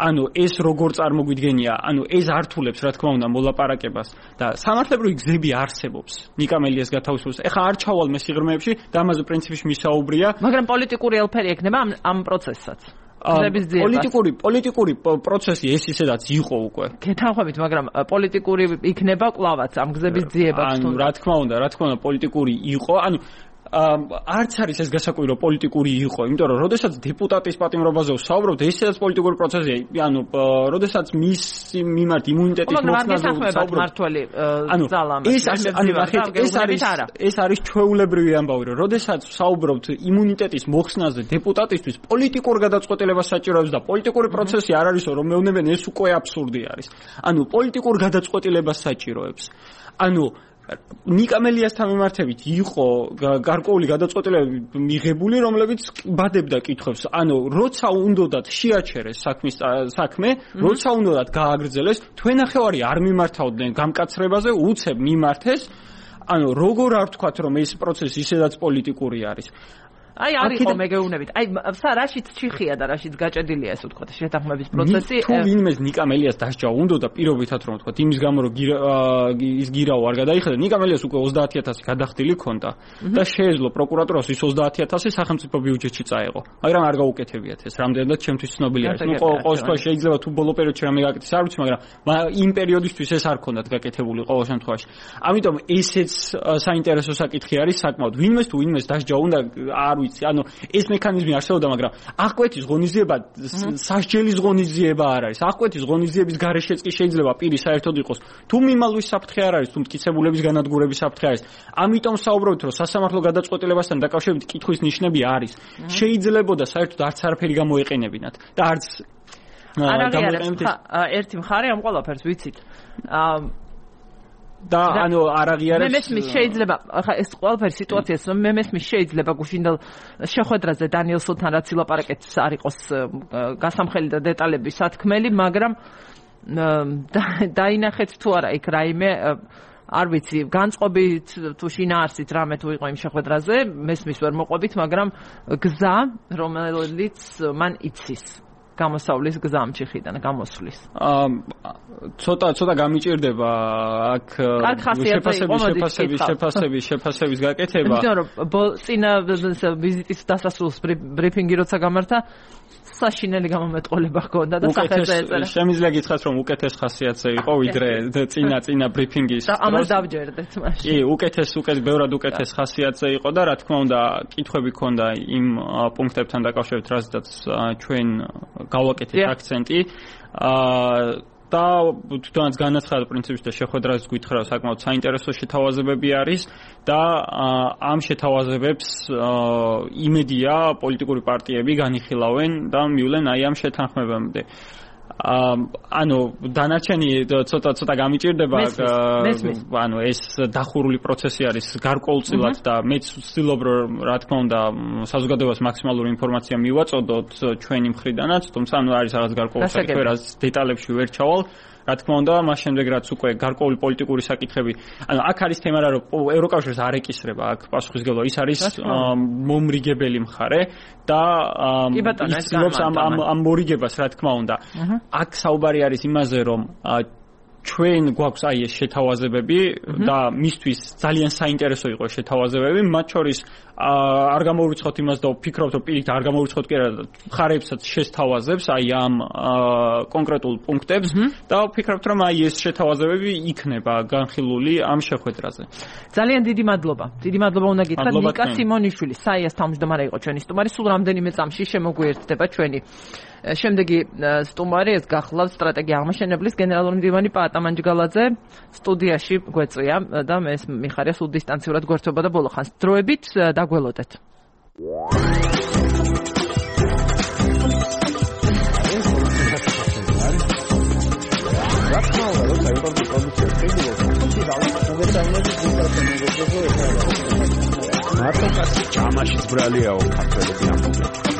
[SPEAKER 5] ანუ ეს როგორ წარმოგვიდგენია, ანუ ეს ართულებს რა თქმა უნდა მოლაპარაკებას და სამართლებრივი გზები არსებობს. ნიკა მელიას გათავისუფლებს. ეხლა არ ჩავალ მე სიღრმეებში და ამაზე პრინციპში მისაუბრია,
[SPEAKER 1] მაგრამ პოლიტიკური ელფერი ექნება ამ პროცესსაც.
[SPEAKER 5] პოლიტიკური პროცესი ეს ისედაც იყო უკვე.
[SPEAKER 1] გეთანხმებით, მაგრამ პოლიტიკური იქნება კლავაც ამ გზების ძიება.
[SPEAKER 5] ანუ რა თქმა უნდა, პოლიტიკური იყო, ანუ არც არის ეს გასაკვირი რომ პოლიტიკური იყო, იმიტომ რომ როდესაც დეპუტატის პატიმრობაზე ვსაუბრობთ, ესეც პოლიტიკური პროცესია, ანუ როდესაც მის მიმართ იმუნიტეტის მოხსნაზე
[SPEAKER 1] ვსაუბრობთ მართველი ძალამ.
[SPEAKER 5] ეს არის ჩვეულებრივი ამბავი, რომ როდესაც ვსაუბრობთ იმუნიტეტის მოხსნაზე დეპუტატისთვის, პოლიტიკურ გადაწყვეტილებას საჭიროებს და პოლიტიკური პროცესი არ არის რომ მეუბნებიან, ეს უკვე აბსურდი არის. ანუ პოლიტიკურ გადაწყვეტილებას საჭიროებს. ანუ ნიკა მელიასთან მიმართებით იყო გარკვეული გადაწყვეტილებები მიღებული, რომლებიც ბადებდა კითხვებს. ანუ როცა უნდათ შეაჩერეს საქმე, როცა უნდათ გააგრძელეს, თქვენახევარი არ მიმართავდნენ გამკაცრებაზე, უცებ მიმართეს. ანუ როგორ არ ვთქვათ, რომ ეს პროცესი ისედაც პოლიტიკური არის.
[SPEAKER 1] აი არ იყო მეგეუბნებით. აი რაშიც ჩიხია და რაშიც გაჭედილია ეს ვთქვათ შეთანხმების პროცესი.
[SPEAKER 5] თუ ვინმეს ნიკა მელიას დასჯა უნდა და პირობითად რომ ვთქვათ იმის გამო რომ ის გირაო არ გადაიხადა, ნიკა მელიას უკვე 30000 გადახდილი ქონდა და შეეძლო პროკურატურას ის 30000 სახელმწიფო ბიუჯეტში წაეღო. მაგრამ არ გაუკეთებიათ ეს, რამდენადაც ჩემთვის ცნობილი არის. ნუ ყოველ შემთხვევაში შეიძლება თუ ბოლო პერიოდში რამე გაკეთდეს არ ვიცი, მაგრამ იმ პერიოდისთვის ეს არ ქონდათ გაკეთებული ყოველ შემთხვევაში. ამიტომ ესეც საინტერესო საკითხი არის საკმაოდ. ვინმეს თუ ვინმეს დასჯა უნდა არ ანუ ეს მექანიზმი არსებობდა, მაგრამ აღკვეთის ღონისძიება სასჯელის ღონისძიება არ არის. აღკვეთის ღონისძიების გარეშეც კი შეიძლება პირი საერთოდ იყოს. თუ მიმალვის საფრთხე არ არის, თუ მტკიცებულების განადგურების საფრთხე არის. ამიტომ საუბრობთ, რომ სასამართლო გადაწყვეტილებასთან დაკავშირებით კითხვის ნიშნები არის. შეიძლებოდა საერთოდ არც არაფერი გამოეყენებინათ და არც
[SPEAKER 1] გამოეყენებინათ. ერთი მხარე ამ ყველაფერს ვიცით.
[SPEAKER 5] და ანუ არ აღიარებს
[SPEAKER 1] მე მესმის შეიძლება ახლა ეს ყველაფერი სიტუაციას რომ მე მესმის შეიძლება გუშინდელ შეხვედრაზე დანიელ სულთან რაც ილაპარაკეთს არ იყოს გასამხელი და დეტალები სათქმელი, მაგრამ დაინახეთ თუ არა იქ რაიმე არ ვიცი განწყობით თუ შინაარსით რამე თუ იყო იმ შეხვედრაზე, მესმის ვერ მოყვებით, მაგრამ გზა რომელიც მან იცის გამოსავლის გზამში ხიდან გამოსვლის.
[SPEAKER 5] ცოტა გამიჭირდება აქ შეფასების გაკეთება.
[SPEAKER 1] იმიტომ რომ წინა ვიზიტის დასასრულს ბრიფინგი როცა გამართა, საშინელი გამომეტყოლება ჰქონდა და სახელზე ეწერა.
[SPEAKER 5] შემიძლია გითხრათ რომ უკეთეს ხასიათზე იყო ვიდრე წინა ბრიფინგის.
[SPEAKER 1] და ამას დავჯერდეთ მაშინ.
[SPEAKER 5] კი, ბევრად უკეთეს ხასიათზე იყო და რა თქმა უნდა კითხვები ჰქონდა იმ პუნქტებთან დაკავშირებით, რაზეც ჩვენ გავაკეთეთ აქცენტი. და თუნდაც განაცხადა პრინციპში და შეხვედრაზე გითხრა საკმაოდ საინტერესო შეთავაზებები არის და ამ შეთავაზებებს იმედია პოლიტიკური პარტიები განიხილავენ და მივლენ აი ამ შეთანხმებამდე. ანუ დანარჩენი ცოტა გამიჭირდება, ანუ ეს დახურული პროცესი არის გარკვეულწილად და მეც ვცდილობ რომ რა თქმა უნდა საზოგადოებას მაქსიმალური ინფორმაცია მივაწოდოთ ჩვენი მხრიდანაც, თუმცა ანუ არის რაღაც გარკვეული საკითხი, რაც დეტალებში ვერ ჩავალ. რა თქმა უნდა, მას შემდეგ რაც უკვე გარკვეული პოლიტიკური საკითხები, ანუ აქ არის თემა რა რომ ევროკავშირს არ ეკისრება აქ პასუხისმგებლობა, ის არის მომრიგებელი მხარე და ის ამ მორიგებას რა თქმა უნდა. აქ საუბარი არის იმაზე რომ ჩვენ გვაქვს აი ეს შეთავაზებები და მისთვის ძალიან საინტერესო იყო შეთავაზებები, მათ შორის არ გამოვიწყოთ იმას და ვფიქრობთ რომ პირით არ გამოვიწყოთ კი არა ხარებსაც შესთავაზებს აი ამ კონკრეტულ პუნქტებს და ვფიქრობთ რომ აი ეს შეთავაზებები იქნება განხილული ამ შეხვედრაზე.
[SPEAKER 1] ძალიან დიდი მადლობა. დიდი მადლობა უნდა გითხრათ ნიკა სიმონიშვილი, საიას თავმჯდომარე იყო ჩვენი სტუმარი, სულ რამდენიმე წამში შემოგვიერთდება ჩვენი შემდეგი სტუმარი ეს გახლავს სტრატეგია აღმაშენებლის გენერალური მდივანი პაატა მანჯგალაძე სტუდიაში გვეწვია და მე მიხარია სულ დისტანციურად გვერდდება და ბოლო ხანს დროებით დაგველოდეთ.
[SPEAKER 6] მარტო ჩამაშიც ბრალიაო ქართველები ამბობენ.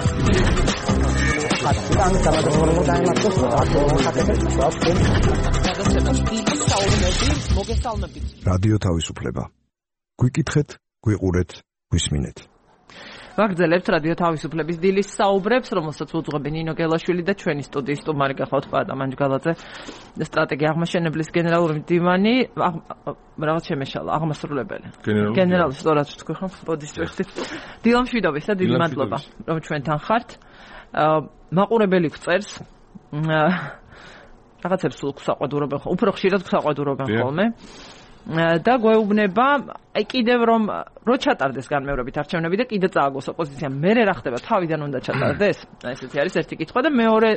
[SPEAKER 7] რადიო თავისუფლება. გვიკითხეთ, გვიყურეთ, გვისმინეთ.
[SPEAKER 1] ვაგრძელებთ რადიო თავისუფლების დილის საუბრებს, რომელსაც უძღვებენ ნინო გელაშვილი და ჩვენი სტუდიის სტუმარი გახლავთ პაატა მანჯგალაძე, სტრატეგია აღმაშენებლის გენერალური მდივანი, რაღაც შემეშალა, აღმასრულებელი. გენერალი სწორად თქვი ხომ? ბოდიშ ვიხდით. დილა მშვიდობისა, დიდი მადლობა, რომ ჩვენთან ხართ. მაყურებელი გწერს რაღაცებს სულ გვსაყვედურობენ, უფრო ხშირად გვსაყვედურობენ ხოლმე. და გვეუბნება აი კიდევ რომ ჩატარდეს განმეორებით არჩევნები და კიდე წააგოს ოპოზიციამ მერე რა ხდება თავიდან უნდა ჩატარდეს აი ესეთი არის ერთი კითხვა და მეორე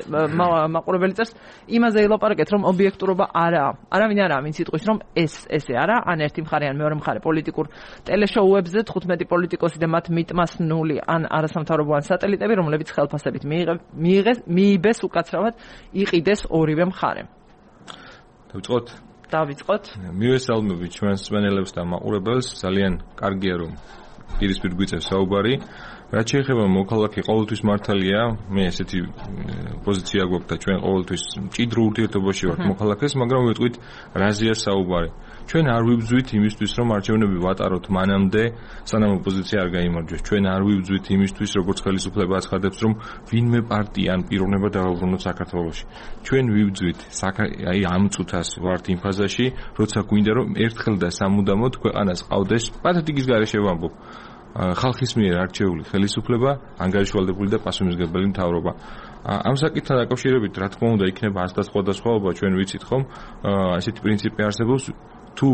[SPEAKER 1] მაყურებელი წერს იმაზე ელაპარაკეთ რომ ობიექტურობა არაა არავინ არაა ვინც იტყვის რომ ესე არა ან ერთი მხარე ან მეორე მხარე პოლიტიკურ ტელეშოუებზე 15 პოლიტიკოსი და მათ მიტმასნული ან არასამთავრობო ან სატელიტები რომლებიც ხელფასებით მიიღეს უკაცრავად იყიდეს ორივე მხარე დავიწყოთ.
[SPEAKER 8] მივესალმები ჩვენს მსმენელებს და მაყურებელს. ძალიან კარგია რომ პირისპირ გვიწევს საუბარი. რაც შეეხება მოქალაქე ყოველთვის მართალია, მე ესეთი პოზიცია გვაქვს და ჩვენ ყოველთვის მჭიდრო ურთიერთობაში ვართ მოქალაქეს, მაგრამ ვიტყვით რაზეა საუბარი. ჩვენ არ ვიბძვით იმისთვის, რომ არჩევნები ვატაროთ მანამდე, სანამ ოპოზიცია არ გაიმარჯვეს. ჩვენ არ ვიბძვით იმისთვის, როგორც ხელისუფლება აცხადებს, რომ ვინმე პარტია ან პიროვნება დააბრუნოთ საქართველოში. ჩვენ ვიბძვით, აი ამ წუთას ვართ იმ ფაზაში, როცა გვინდა რომ ერთხელ და სამუდამოდ ქვეყანას ყავდეს პათეტიკის გარეშე ვამბობ. ხალხის მიერ არჩეული ხელისუფლება, ანგარიშვალდებული და პასუხისმგებელი მთავრობა. ამ საკითხთან დაკავშირებით, რა თქმა უნდა, იქნება ასდასხვადასხვაობა, ჩვენ ვიცით ხომ, ესეთი პრინციპი არსებობს, თუ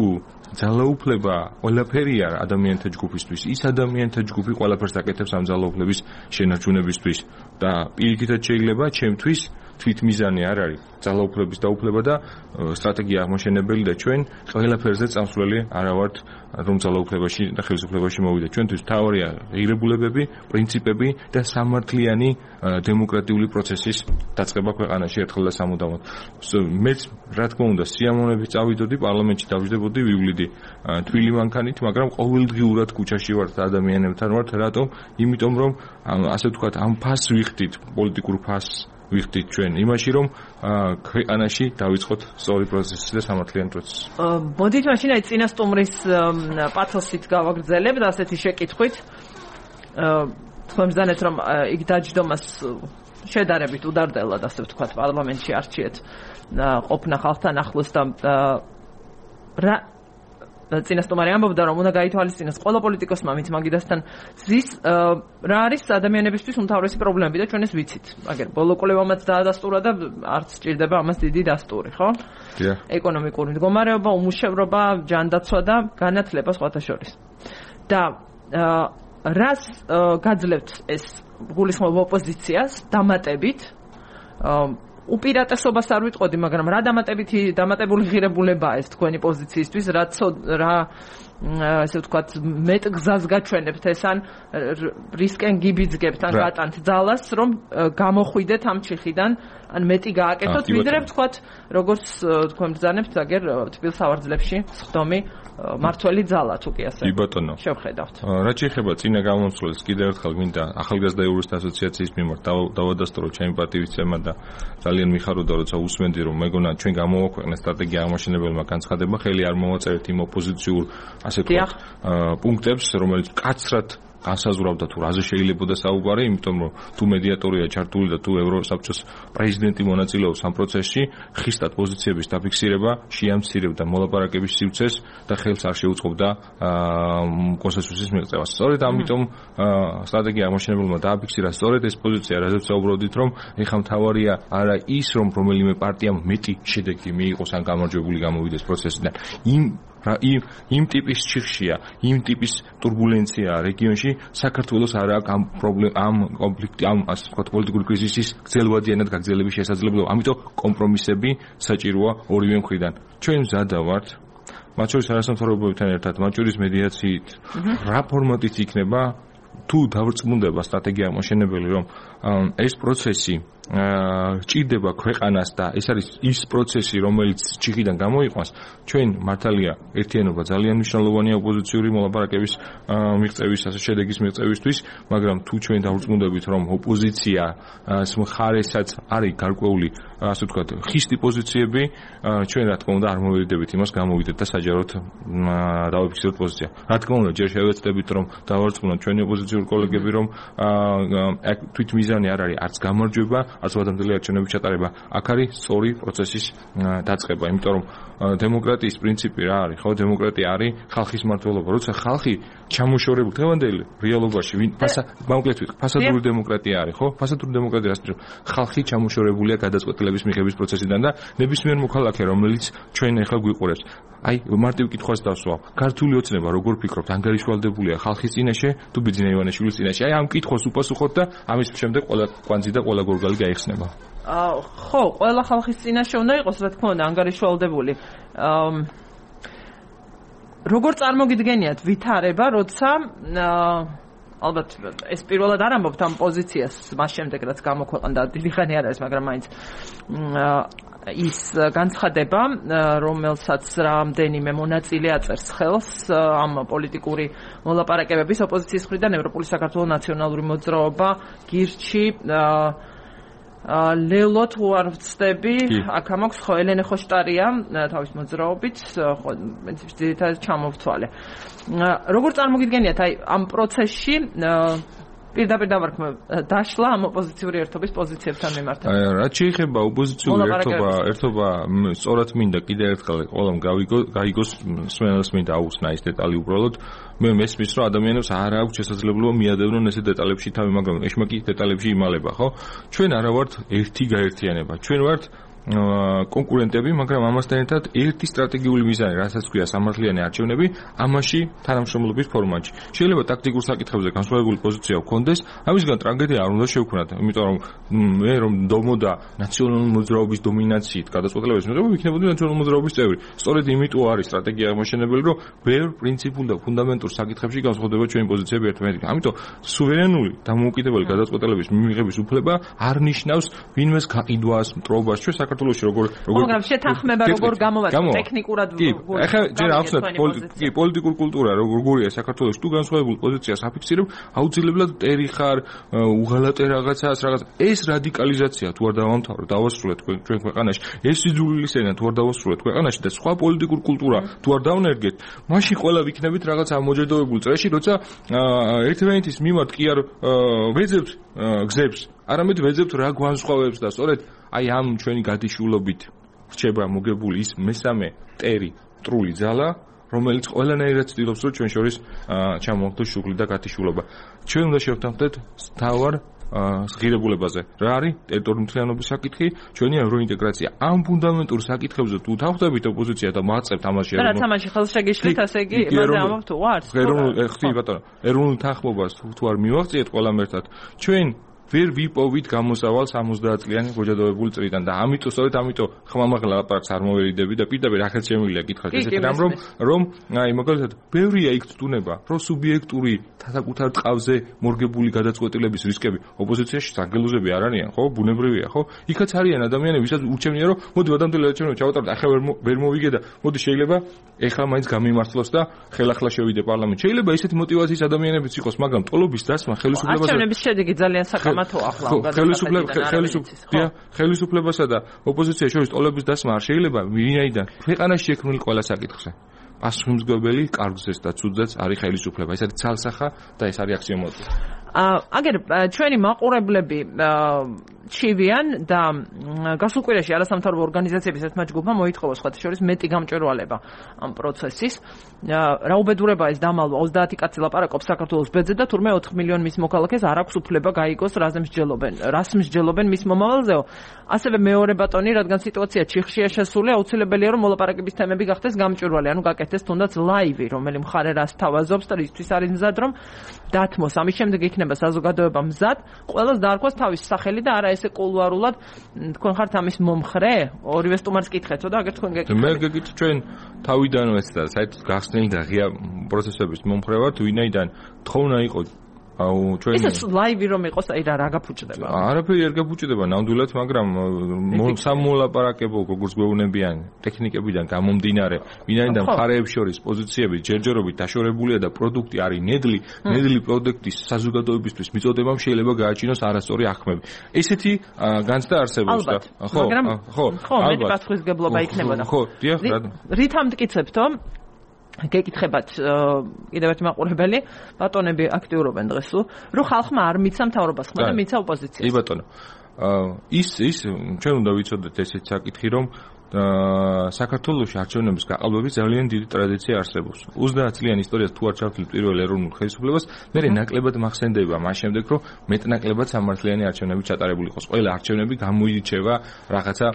[SPEAKER 8] ძალაუფლება ყველაფერია ადამიანთა ჯგუფისთვის, ის ადამიანთა ჯგუფი ყველაფერს აკეთებს ამ ძალაუფლების შენარჩუნებისთვის და პირიქითაც შეიძლება ჩემთვის თვითმიზანი არ არის ძალაუფლების დაუფლება და სტრატეგია აღმაშენებელი და ჩვენ ყველაფერზე წამსვლელი არა ვართ რომ ძალაუფლებაში და ხელისუფლებაში მოვიდა. ჩვენთვის მთავარია ღირებულებები, პრინციპები და სამართლიანი დემოკრატიული პროცესის დაწყება ქვეყანაში ერთხელ და სამუდამოდ. მეც რა თქმა უნდა სიამოვნებით წავიდოდი პარლამენტში დავждებოდი ვივლიდი თბილი მანქანით, მაგრამ ყოველდღიურად ქუჩაში ვართ ადამიანებთან ვართ. რატომ? იმიტომ რომ ასე ვთქვათ ამ ფასს ვიხდით, პოლიტიკურ ფასს ვიხდით ჩვენ იმაში რომ ქვეყანაში დავიწყოთ სწორი პროცესი და სამართლიანი პროცესი.
[SPEAKER 1] მოდით მაშინ აი წინა სტუმრის პათოსით გავაგრძელებ და ასეთი შეკითხვით. თქვენ მზანეთ რომ იქ დაჯდომას შედარებით უდარდელად ასე ვთქვათ პარლამენტში არჩიეთ ყოფნა ხალხთან ახლოს და რა წინასწარმეტყველი ამბობდა რომ უნდა გაითვალისწინოს ყველა პოლიტიკოსმა ვინც მაგიდასთან ზის რა არის ადამიანებისთვის უმთავრესი პრობლემები და ჩვენ ეს ვიცით. მაგერ ბოლო კვლევამაც დაადასტურა და არც სჭირდება ამას დიდი დასტური, ხო? ეკონომიკური მდგომარეობა, უმუშევრობა, ჯანდაცვა და განათლება სხვათა შორის. და რას გაძლევთ ეს გულისხმობ ოპოზიციას დამატებით უპირატესობას არ ვიტყოდი, მაგრამ რა დამატებული ღირებულებაა ეს თქვენი პოზიციისთვის, რა ასე ვთქვათ, მეტ გზას გაჩვენებთ ეს ან რისკენ გიბიძგებთ ან გატანთ ძალას, რომ გამოხვიდეთ ამ ჩიხიდან, ან მეტი გააკეთოთ, ვიდრე ვთქვათ, როგორც თქვენ ბრძანებთ, აგერ თბილ სავარძლებში სხდომი მართველი ძალა თუ კი ასე.
[SPEAKER 8] კი ბატონო.
[SPEAKER 1] შევხედავთ.
[SPEAKER 8] რაც შეეხება წინა გამოსვლას, კიდევ ერთხელ მინდა ახალგაზრდა იურისტთა ასოციაციის მიმართ დავადასტურო ჩემი პატივისცემა და ძალიან მიხაროდა, როცა უსმენდი, რომ მეგონა ჩვენ გამოვაქვეყნეთ სტრატეგია აღმაშენებელმა განცხადება, ხელი არ მოვაწერეთ იმ ოპოზიციურ ასე ვთქვათ პუნქტებს, რომელიც კაცრად განსაზღვრავდა თუ რაზე შეიძლებოდა საუბარი, იმიტომ რომ თუ მედიატორია ჩართული და თუ ევროსაბჭოს პრეზიდენტი მონაწილეობს ამ პროცესში, ხისტად პოზიციების დაფიქსირება შეამცირებდა მოლაპარაკების სივრცეს და ხელს არ შეუწყობდა კონსენსუსის მიღწევას. სწორედ ამიტომ სტრატეგია აღმაშენებელმა დააფიქსირა სწორედ ეს პოზიცია, რაზეც საუბრობდით, რომ ეხლა მთავარია არა ის, რომ რომელიმე პარტიამ მეტი შედეგი მიიღოს ან გამარჯვებული გამოვიდეს პროცესიდან. იმ რა იმ ტიპის ჩიხშია, იმ ტიპის турბულენციაა რეგიონში, საქართველოს არ აქვს ამ პრობლემა, ამ კონფლიქტი, ამ ასე ვთქვათ, პოლიტიკური კრიზისის გრძელვადიანად გაგრძელების შესაძლებლობა. ამიტომ კომპრომისები საჭიროა ორივე მხრიდან. ჩვენ მზად ვართ მათ შორის არასამთავრობოებთან ერთად, მათ შორის მედიაციით, რა ფორმატიც იქნება, თუ დავრწმუნდება სტრატეგია მოშენებელი, რომ ეს პროცესი ჭირდება ქვეყანას და ეს არის ის პროცესი, რომელიც ჩიხიდან გამოიყვანს, ჩვენ მართალია ერთიანობა ძალიან მნიშვნელოვანია ოპოზიციური მოლაპარაკების მიღწევის, ასე შედეგის მიღწევისთვის, მაგრამ თუ ჩვენ დავრწმუნდებით, რომ ოპოზიციას მხარესაც არის გარკვეული, ასე ვთქვათ, ხისტი პოზიციები, ჩვენ რა თქმა უნდა არ მოვიდებით იმას გამოვიდეთ და საჯაროდ დავიფიქსიროთ პოზიცია. რა თქმა უნდა, ჯერ შევეცდებით, რომ დავარწმუნოთ ჩვენი ოპოზიციური კოლეგები, რომ თვით მიზანი არ არის არც გამარჯვება, არც ვადამდელი არჩევნების ჩატარება, აქ არის სწორი პროცესის დაწყება, იმიტომ რომ დემოკრატიის პრინციპი რა არის, ხო? დემოკრატია არის ხალხის მმართველობა. როცა ხალხი ჩამოშორებული თევანდელი რეალობაში, მოკლედ ვიტყვი, ფასადური დემოკრატია არის, ხო? ფასადური დემოკრატია რას ნიშნავს? ხალხი ჩამოშორებულია გადაწყვეტილების მიღების პროცესიდან და ნებისმიერ მოქალაქე, რომელიც ჩვენ ახლა გვიყურებს, აი, მარტივ კითხვას დავსვავ. ქართული ოცნება როგორ ფიქრობთ, ანგარიშვალდებულია ხალხის წინაშე თუ ბიძინა ივანიშვილის წინაშე? აი, ამ კითხვას უპასუხოთ და ამის შემდეგ ყველა კვანძი და ყველა გორგალი გაიხსნება.
[SPEAKER 1] ხო, ყველა ხალხის წინაშე უნდა იყოს, რა თქმა უნდა, ანგარიშვალდებული. როგორ წარმოგიდგენიათ ვითარება, როცა ალბათ ეს პირველად არ ამბობთ ამ პოზიციას, მას შემდეგ რაც გამოქვეყნდა, დიდი ხანი არ არის, მაგრამ მაინც ის განცხადება, რომელსაც რამდენიმე მონაწილე აწერს ხელს ამ პოლიტიკური მოლაპარაკებების ოპოზიციის მხრიდან ევროპული საქართველოს ნაციონალური მოძრაობა გირჩი ლელო თუ არ ვწდები, აქ ამაქვს ხო ელენე ხოშტარია თავის მოძრაობით, ხო ძირითადად ჩამოვთვალე. როგორ წარმოგიდგენიათ აი ამ პროცესში პირდაპირ დავარქმევ დაშლა ამ ოპოზიციური ერთობის პოზიციებთან მიმართ.
[SPEAKER 8] რაც შეეხება ოპოზიციური ერთობა, სწორად მინდა კიდევ ერთხელ ყველამ გაიგოს, სვენელს მინდა აუხსნა ეს დეტალი უბრალოდ. მე მესმის, რომ ადამიანებს არ აქვს შესაძლებლობა მიადევნონ ესე დეტალებში თავი, მაგრამ ეშმაკი დეტალებში იმალება, ხო? ჩვენ არა ვართ ერთი გაერთიანება. ჩვენ ვართ კონკურენტები, მაგრამ ამასთან ერთად ერთი სტრატეგიული მიზანი, რასაც ქვია სამართლიანი არჩევნები, ამაში თანამშრომლობის ფორმატში. შეიძლება ტაქტიკურ საკითხებზე განსხვავებული პოზიცია გქონდეს, ამისგან ტრაგედია არ უნდა შევქმნათ, იმიტომ რომ მე რომ დომოდა ნაციონალური მოძრაობის დომინაციით გადაწყვეტილების მიღება, იქნებოდი ნაციონალური მოძრაობის წევრი. სწორედ იმიტომ არის სტრატეგია აღმოჩენებელი, რომ ბევრ პრინციპულ და ფუნდამენტურ საკითხებში განსხვავდება ჩვენი პოზიციები ერთმანეთთან. ამიტომ სუვერენული დამოუკიდებელი გადაწყვეტილების მიღების უფლება არ ნიშნავს ვინმეს გაყიდვას, მტრობას. ჩვენ საქართველოში როგორ
[SPEAKER 1] მაგრამ შეთანხმება როგორ გამოვაწყოთ ტექნიკურად
[SPEAKER 8] ახლა ჯერ ახსნათ პოლიტიკურ კულტურა როგორია საქართველოში თუ განსხვავებულ პოზიციას აფიქსირებ აუცილებლად ტერი ხარ უღალატე რაღაცას რაღაც ეს რადიკალიზაცია თუ არ დავასრულეთ ჩვენ ქვეყანაში ეს სიძულვილის ენა თუ არ დავასრულეთ ქვეყანაში და სხვა პოლიტიკურ კულტურა თუ არ დავნერგეთ მაშინ ყველა ვიქნებით რაღაც ამოჯერდოვებულ წრეში როცა ერთმანეთის მიმართ კი არ ვეძებთ გზებს არამედ ვეძებთ რა განსხვავებს და სწორედ აი ამ ჩვენი გადაშულობით რჩება მოგებული ის მესამე ტერი მტრული ძალა რომელიც ყველანაირად ცდილობს რომ ჩვენ შორის ჩამოვხდოს შუღლი და გათიშულობა ჩვენ უნდა შევთანხმდეთ თავარ ღირებულებაზე რა არის ტერიტორიული მთლიანობის საკითხი ჩვენი ევროინტეგრაცია ამ ფუნდამენტურ საკითხებზე თუ თავხდებით ოპოზიცია და მაწყებთ ამაში
[SPEAKER 1] რა თამაში ხელს შეგიშლით ასე იგი იმაზე ამბობ თუ არ
[SPEAKER 8] ხთი ბატონო ეროვნულ თანხმობას თუ არ მივაღწიეთ ყველამ ერთად ჩვენ ვერ ვიპოვით გამოსავალ 70 წლიანი გოჯადოებული წრიდან და ამიტომ სწორედ ამიტომ ხმამაღლა ლაპარაკს არ მოვერიდები და პირდაპირ ახაც შემიძლია კითხვა ესეთი რომ აი მაგალითად ბევრია იქ ცდუნება რომ სუბიექტური საკუთარ ტყავზე მორგებული გადაწყვეტილების რისკები ოპოზიციაში საგელუზები არ არიან ხო ბუნებრივია ხო იქაც არიან ადამიანები ვისაც ურჩევნია რომ მოდი ვადამდელი არჩევნები ჩავატაროთ ახლა ვერ მოვიგე და მოდი შეიძლება ეხლა მაინც გამიმართლოს და ხელახლა შევიდე პარლამენტში შეიძლება ესეთი მოტივაციის ადამიანებიც იყოს მაგრამ ტოლობის დასმა ხელისუფლებაზე
[SPEAKER 1] არჩევნების შედეგი ძალიან საკამათოა ახლა
[SPEAKER 8] ხელისუფლებასა და ოპოზიციის შორის ტოლების დასმა არ შეიძლება ვინაიდან ქვეყანაში შექმნილი ყველა საკითხზე პასუხისმგებელი კარგზეც და ცუდზეც არის ხელისუფლება ეს არის ცალსახა და ეს არის აქსიომატური
[SPEAKER 1] აგერ ჩვენი მაყურებლები ჩივიან და გასულ კვირაში არასამთავრობო ორგანიზაციების ერთმა ჯგუფმა მოითხოვა სხვათა შორის მეტი გამჭვირვალება ამ პროცესის. რა უბედურება ეს დამალვა 30 კაცი ლაპარაკობს საქართველოს ბედზე და თურმე 4 მილიონი მის მოქალაქეს არ აქვს უფლება გაიგოს რას მსჯელობენ მის მომავალზეო. ასევე მეორე ბატონი, რადგან სიტუაცია ჩიხშია შესული, აუცილებელია რომ მოლაპარაკების თემები გახდეს გამჭვირვალე, ანუ გაკეთდეს თუნდაც ლაივი, რომელი მხარე რას თავაზობს და რისთვის არის მზად რომ დათმოს. ამის შემდეგ იქნება საზოგადოება მზად, ყველას დაარქვას თავის სახელი და არა ესე კულუარულად თქვენ ხართ ამის მომხრე? ორივე სტუმარს კითხეთო და აგერ თქვენ გეკითხეთ.
[SPEAKER 8] მე გეკითხეთ ჩვენ თავიდანვე და საერთოდ გახსნილი და ღია პროცესების მომხრე ვართ, ვინაიდან თხოვნა იყო ჩვენ
[SPEAKER 1] ეს ლაივი რომ იყოს, აი რა გაფუჭდება?
[SPEAKER 8] არაფერი არ გაფუჭდება ნამდვილად, მაგრამ სამოლაპარაკებო როგორც გვეუბნებიან ტექნიკებიდან გამომდინარე, ვინაიდან მხარეებს შორის პოზიციები ჯერჯერობით დაშორებულია და პროდუქტი არის ნედლი პროდუქტის საზოგადოებისთვის მიწოდებამ შეიძლება გააჩინოს არასწორი აღქმები. ესეთი განცდა არსებობს და
[SPEAKER 1] ხო, მეტი პასუხისგებლობა იქნებოდა.
[SPEAKER 8] ხო, დიახ,
[SPEAKER 1] რით ამტკიცებთო? გეკითხებათ კიდევ ერთი მაყურებელი, ბატონები აქტიურობენ დღეს, რომ ხალხმა არ მიცა მთავრობას ხმა და მიცა ოპოზიციას.
[SPEAKER 8] კი ბატონო. ის ჩვენ უნდა ვიცოდეთ ესეთ საკითხი, რომ საქართველოში არჩევნების გაყალბების ძალიან დიდი ტრადიცია არსებობს. 30 წლიანი ისტორიას თუ არ ჩავთვლით პირველ ეროვნულ ხელისუფლებას, მე ნაკლებად მახსენდება მას შემდეგ, რომ მეტნაკლებად სამართლიანი არჩევნები ჩატარებული იყოს. ყველა არჩევნები გამოირჩევა რაღაცა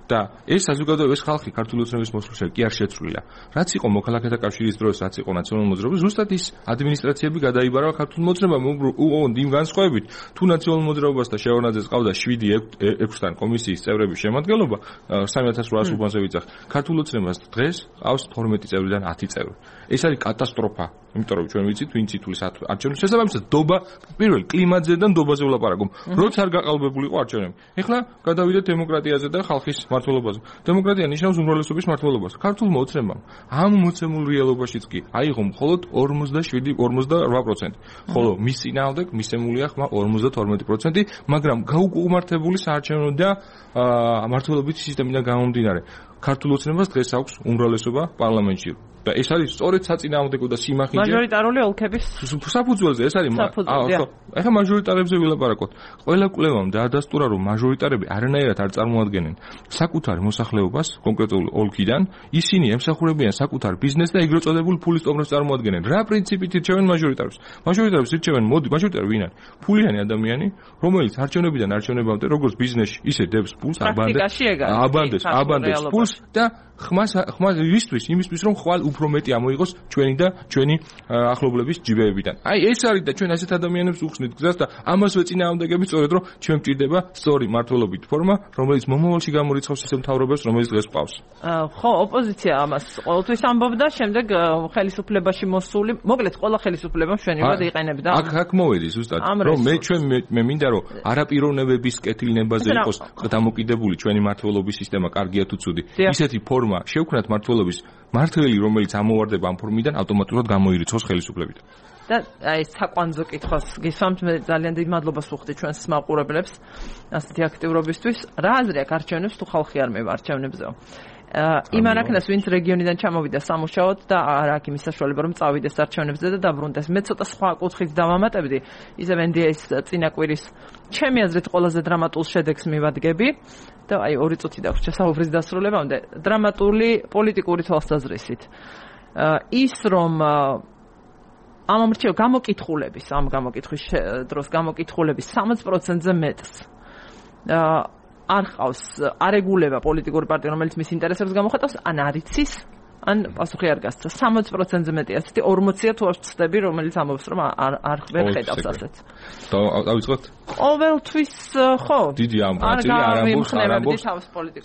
[SPEAKER 8] და ეს საზოგადოება, ეს ხალხი ქართული ოცნების მოსვლისას კი არ შეცვლილა. რაც იყო მოქალაქეთა კავშირის დროს, რაც იყო ნაციონალურ მოძრაობას, ზუსტად ის ადმინისტრაციები გადაიბარა ქართულ მოძრაობამ, უყოვონ იმ განსხვავებით, თუ ნაციონალურ მოძრაობას და შევარდნაძეს ყავდა 7-6-თან კომისიის წევრების შემადგენლობა, 3800 უბანზე ვიძახ. ქართულ ოცნებას დღეს ყავს 12 წევრიდან 10 წევრი. ეს არის კატასტროფა, იმიტომ რომ ჩვენ ვიცით, ვინ ციტულის არჩევნებს შესაბამისად დობა პირველ კლიმატზე და დობაზე ვლაპარაკობ. როცა არ გაყალბებული იყო არჩევნები. ეხლა გადავიდეთ დემოკრატიაზე და ხალხის მართლობაზე. დემოკრატია ნიშნავს უმრავლესობის მართლობას. ქართულმა ოცნებამ ამ მოცემულ რეალობაშიც კი აიღო მხოლოდ 47-48%. ხოლო მის წინააღმდეგ მისცემულია ხმა 52%, მაგრამ გაუკუმართებული საარჩევნო და მართლობითი სისტემიდან გამომდინარე, ქართულ ოცნებას დღეს აქვს უმრავლესობა პარლამენტში. და ეს არის სწორედ საწინააღმდეგო და სიმახინჯე
[SPEAKER 1] მაჟორიტარული ოლქების
[SPEAKER 8] საფუძველზე. ეს არის ახლა მაჟორიტარებზე ვილაპარაკოთ. ყველა კვლევამ დაადასტურა, რომ მაჟორიტარები არანაირად არ წარმოადგენენ საკუთარ მოსახლეობას კონკრეტულ ოლქიდან, ისინი ემსახურებიან საკუთარ ბიზნესს და ეგრეთ წოდებულ ფულის ტომრას წარმოადგენენ. რა პრინციპით ირჩევენ მაჟორიტარებს? მაჟორიტარებს ირჩევენ მაჟორიტარი ვინ არის? ფულიანი ადამიანი, რომელიც არჩევნებიდან არჩევნებამდე როგორც ბიზნესში, ისე დებს ფულს, აბანდეს ფულს და ხმას იმისთვის რომ ხვალ უფრო მეტი ამოიღოს ჩვენი და ჩვენი ახლობლების ჯიბეებიდან. აი ეს არის და ჩვენ ასეთ ადამიანებს უხსნით გზას და ამას ვეწინააღმდეგებით სწორედ რომ ჩვენ გვჭირდება სწორი მართლობითი ფორმა, რომელიც მომავალში გამორიცხავს ისე მთავრობას, რომელიც დღეს ყავს.
[SPEAKER 1] ხო, ოპოზიცია ამას ყოველთვის ამბობდა, შემდეგ ხელისუფლებაში მოსული, მოკლედ ყველა ხელისუფლება მშვენივრად იყენებდა.
[SPEAKER 8] აქ მოვედი ზუსტად, რომ მე მინდა რომ არაპიროვნებების კეთილნებაზე იყოს დამოკიდებული ჩვენი მართლობის სისტემა, კარგია თუ ცუდი. ისეთი ფორმა შევქმნათ მართლობის მართველი, რომელიც ამოვარდება ამ ფორმიდან, ავტომატურად გამოირიცხოს ხელისუფლებიდან.
[SPEAKER 1] და აი საკვანძო კითხვას გისვამთ, მე ძალიან დიდ მადლობას ვუხდი ჩვენს მაყურებლებს ასეთი აქტიურობისთვის. რა აზრი აქვს არჩევნებს თუ ხალხი არ მევა არჩევნებზეო? იმ არაქნას, ვინც რეგიონიდან ჩამოვიდა სამუშაოდ და არ აქვს იმის საშუალება, რომ წავიდეს არჩევნებზე და დაბრუნდეს. მე ცოტა სხვა კუთხით დავამატებდი, ისევ NDA-ის წინაკვირის ჩემი აზრით ყველაზე დრამატულ შედეგს მივადგები და აი 2 წუთი დაგვრჩა საუბრის დასრულებამდე. დრამატული პოლიტიკური თვალსაზრისით. ის რომ ამ გამოკითხულების დროს გამოკითხულების 60%-ზე მეტს არ ყავს არეგულება პოლიტიკური პარტია, რომელიც მის ინტერესებს გამოხატავს, ან არ იცის, ან პასუხი არ გასცა. 60%-ზე მეტი ასეთი 40-ია თუ არ ვწდები, რომელიც ამბობს, რომ არ ვერ ხედავს ასეთს.
[SPEAKER 8] დავიწყოთ?
[SPEAKER 1] ყოველთვის ხო.
[SPEAKER 8] დიდი ამბავი არ ამბობს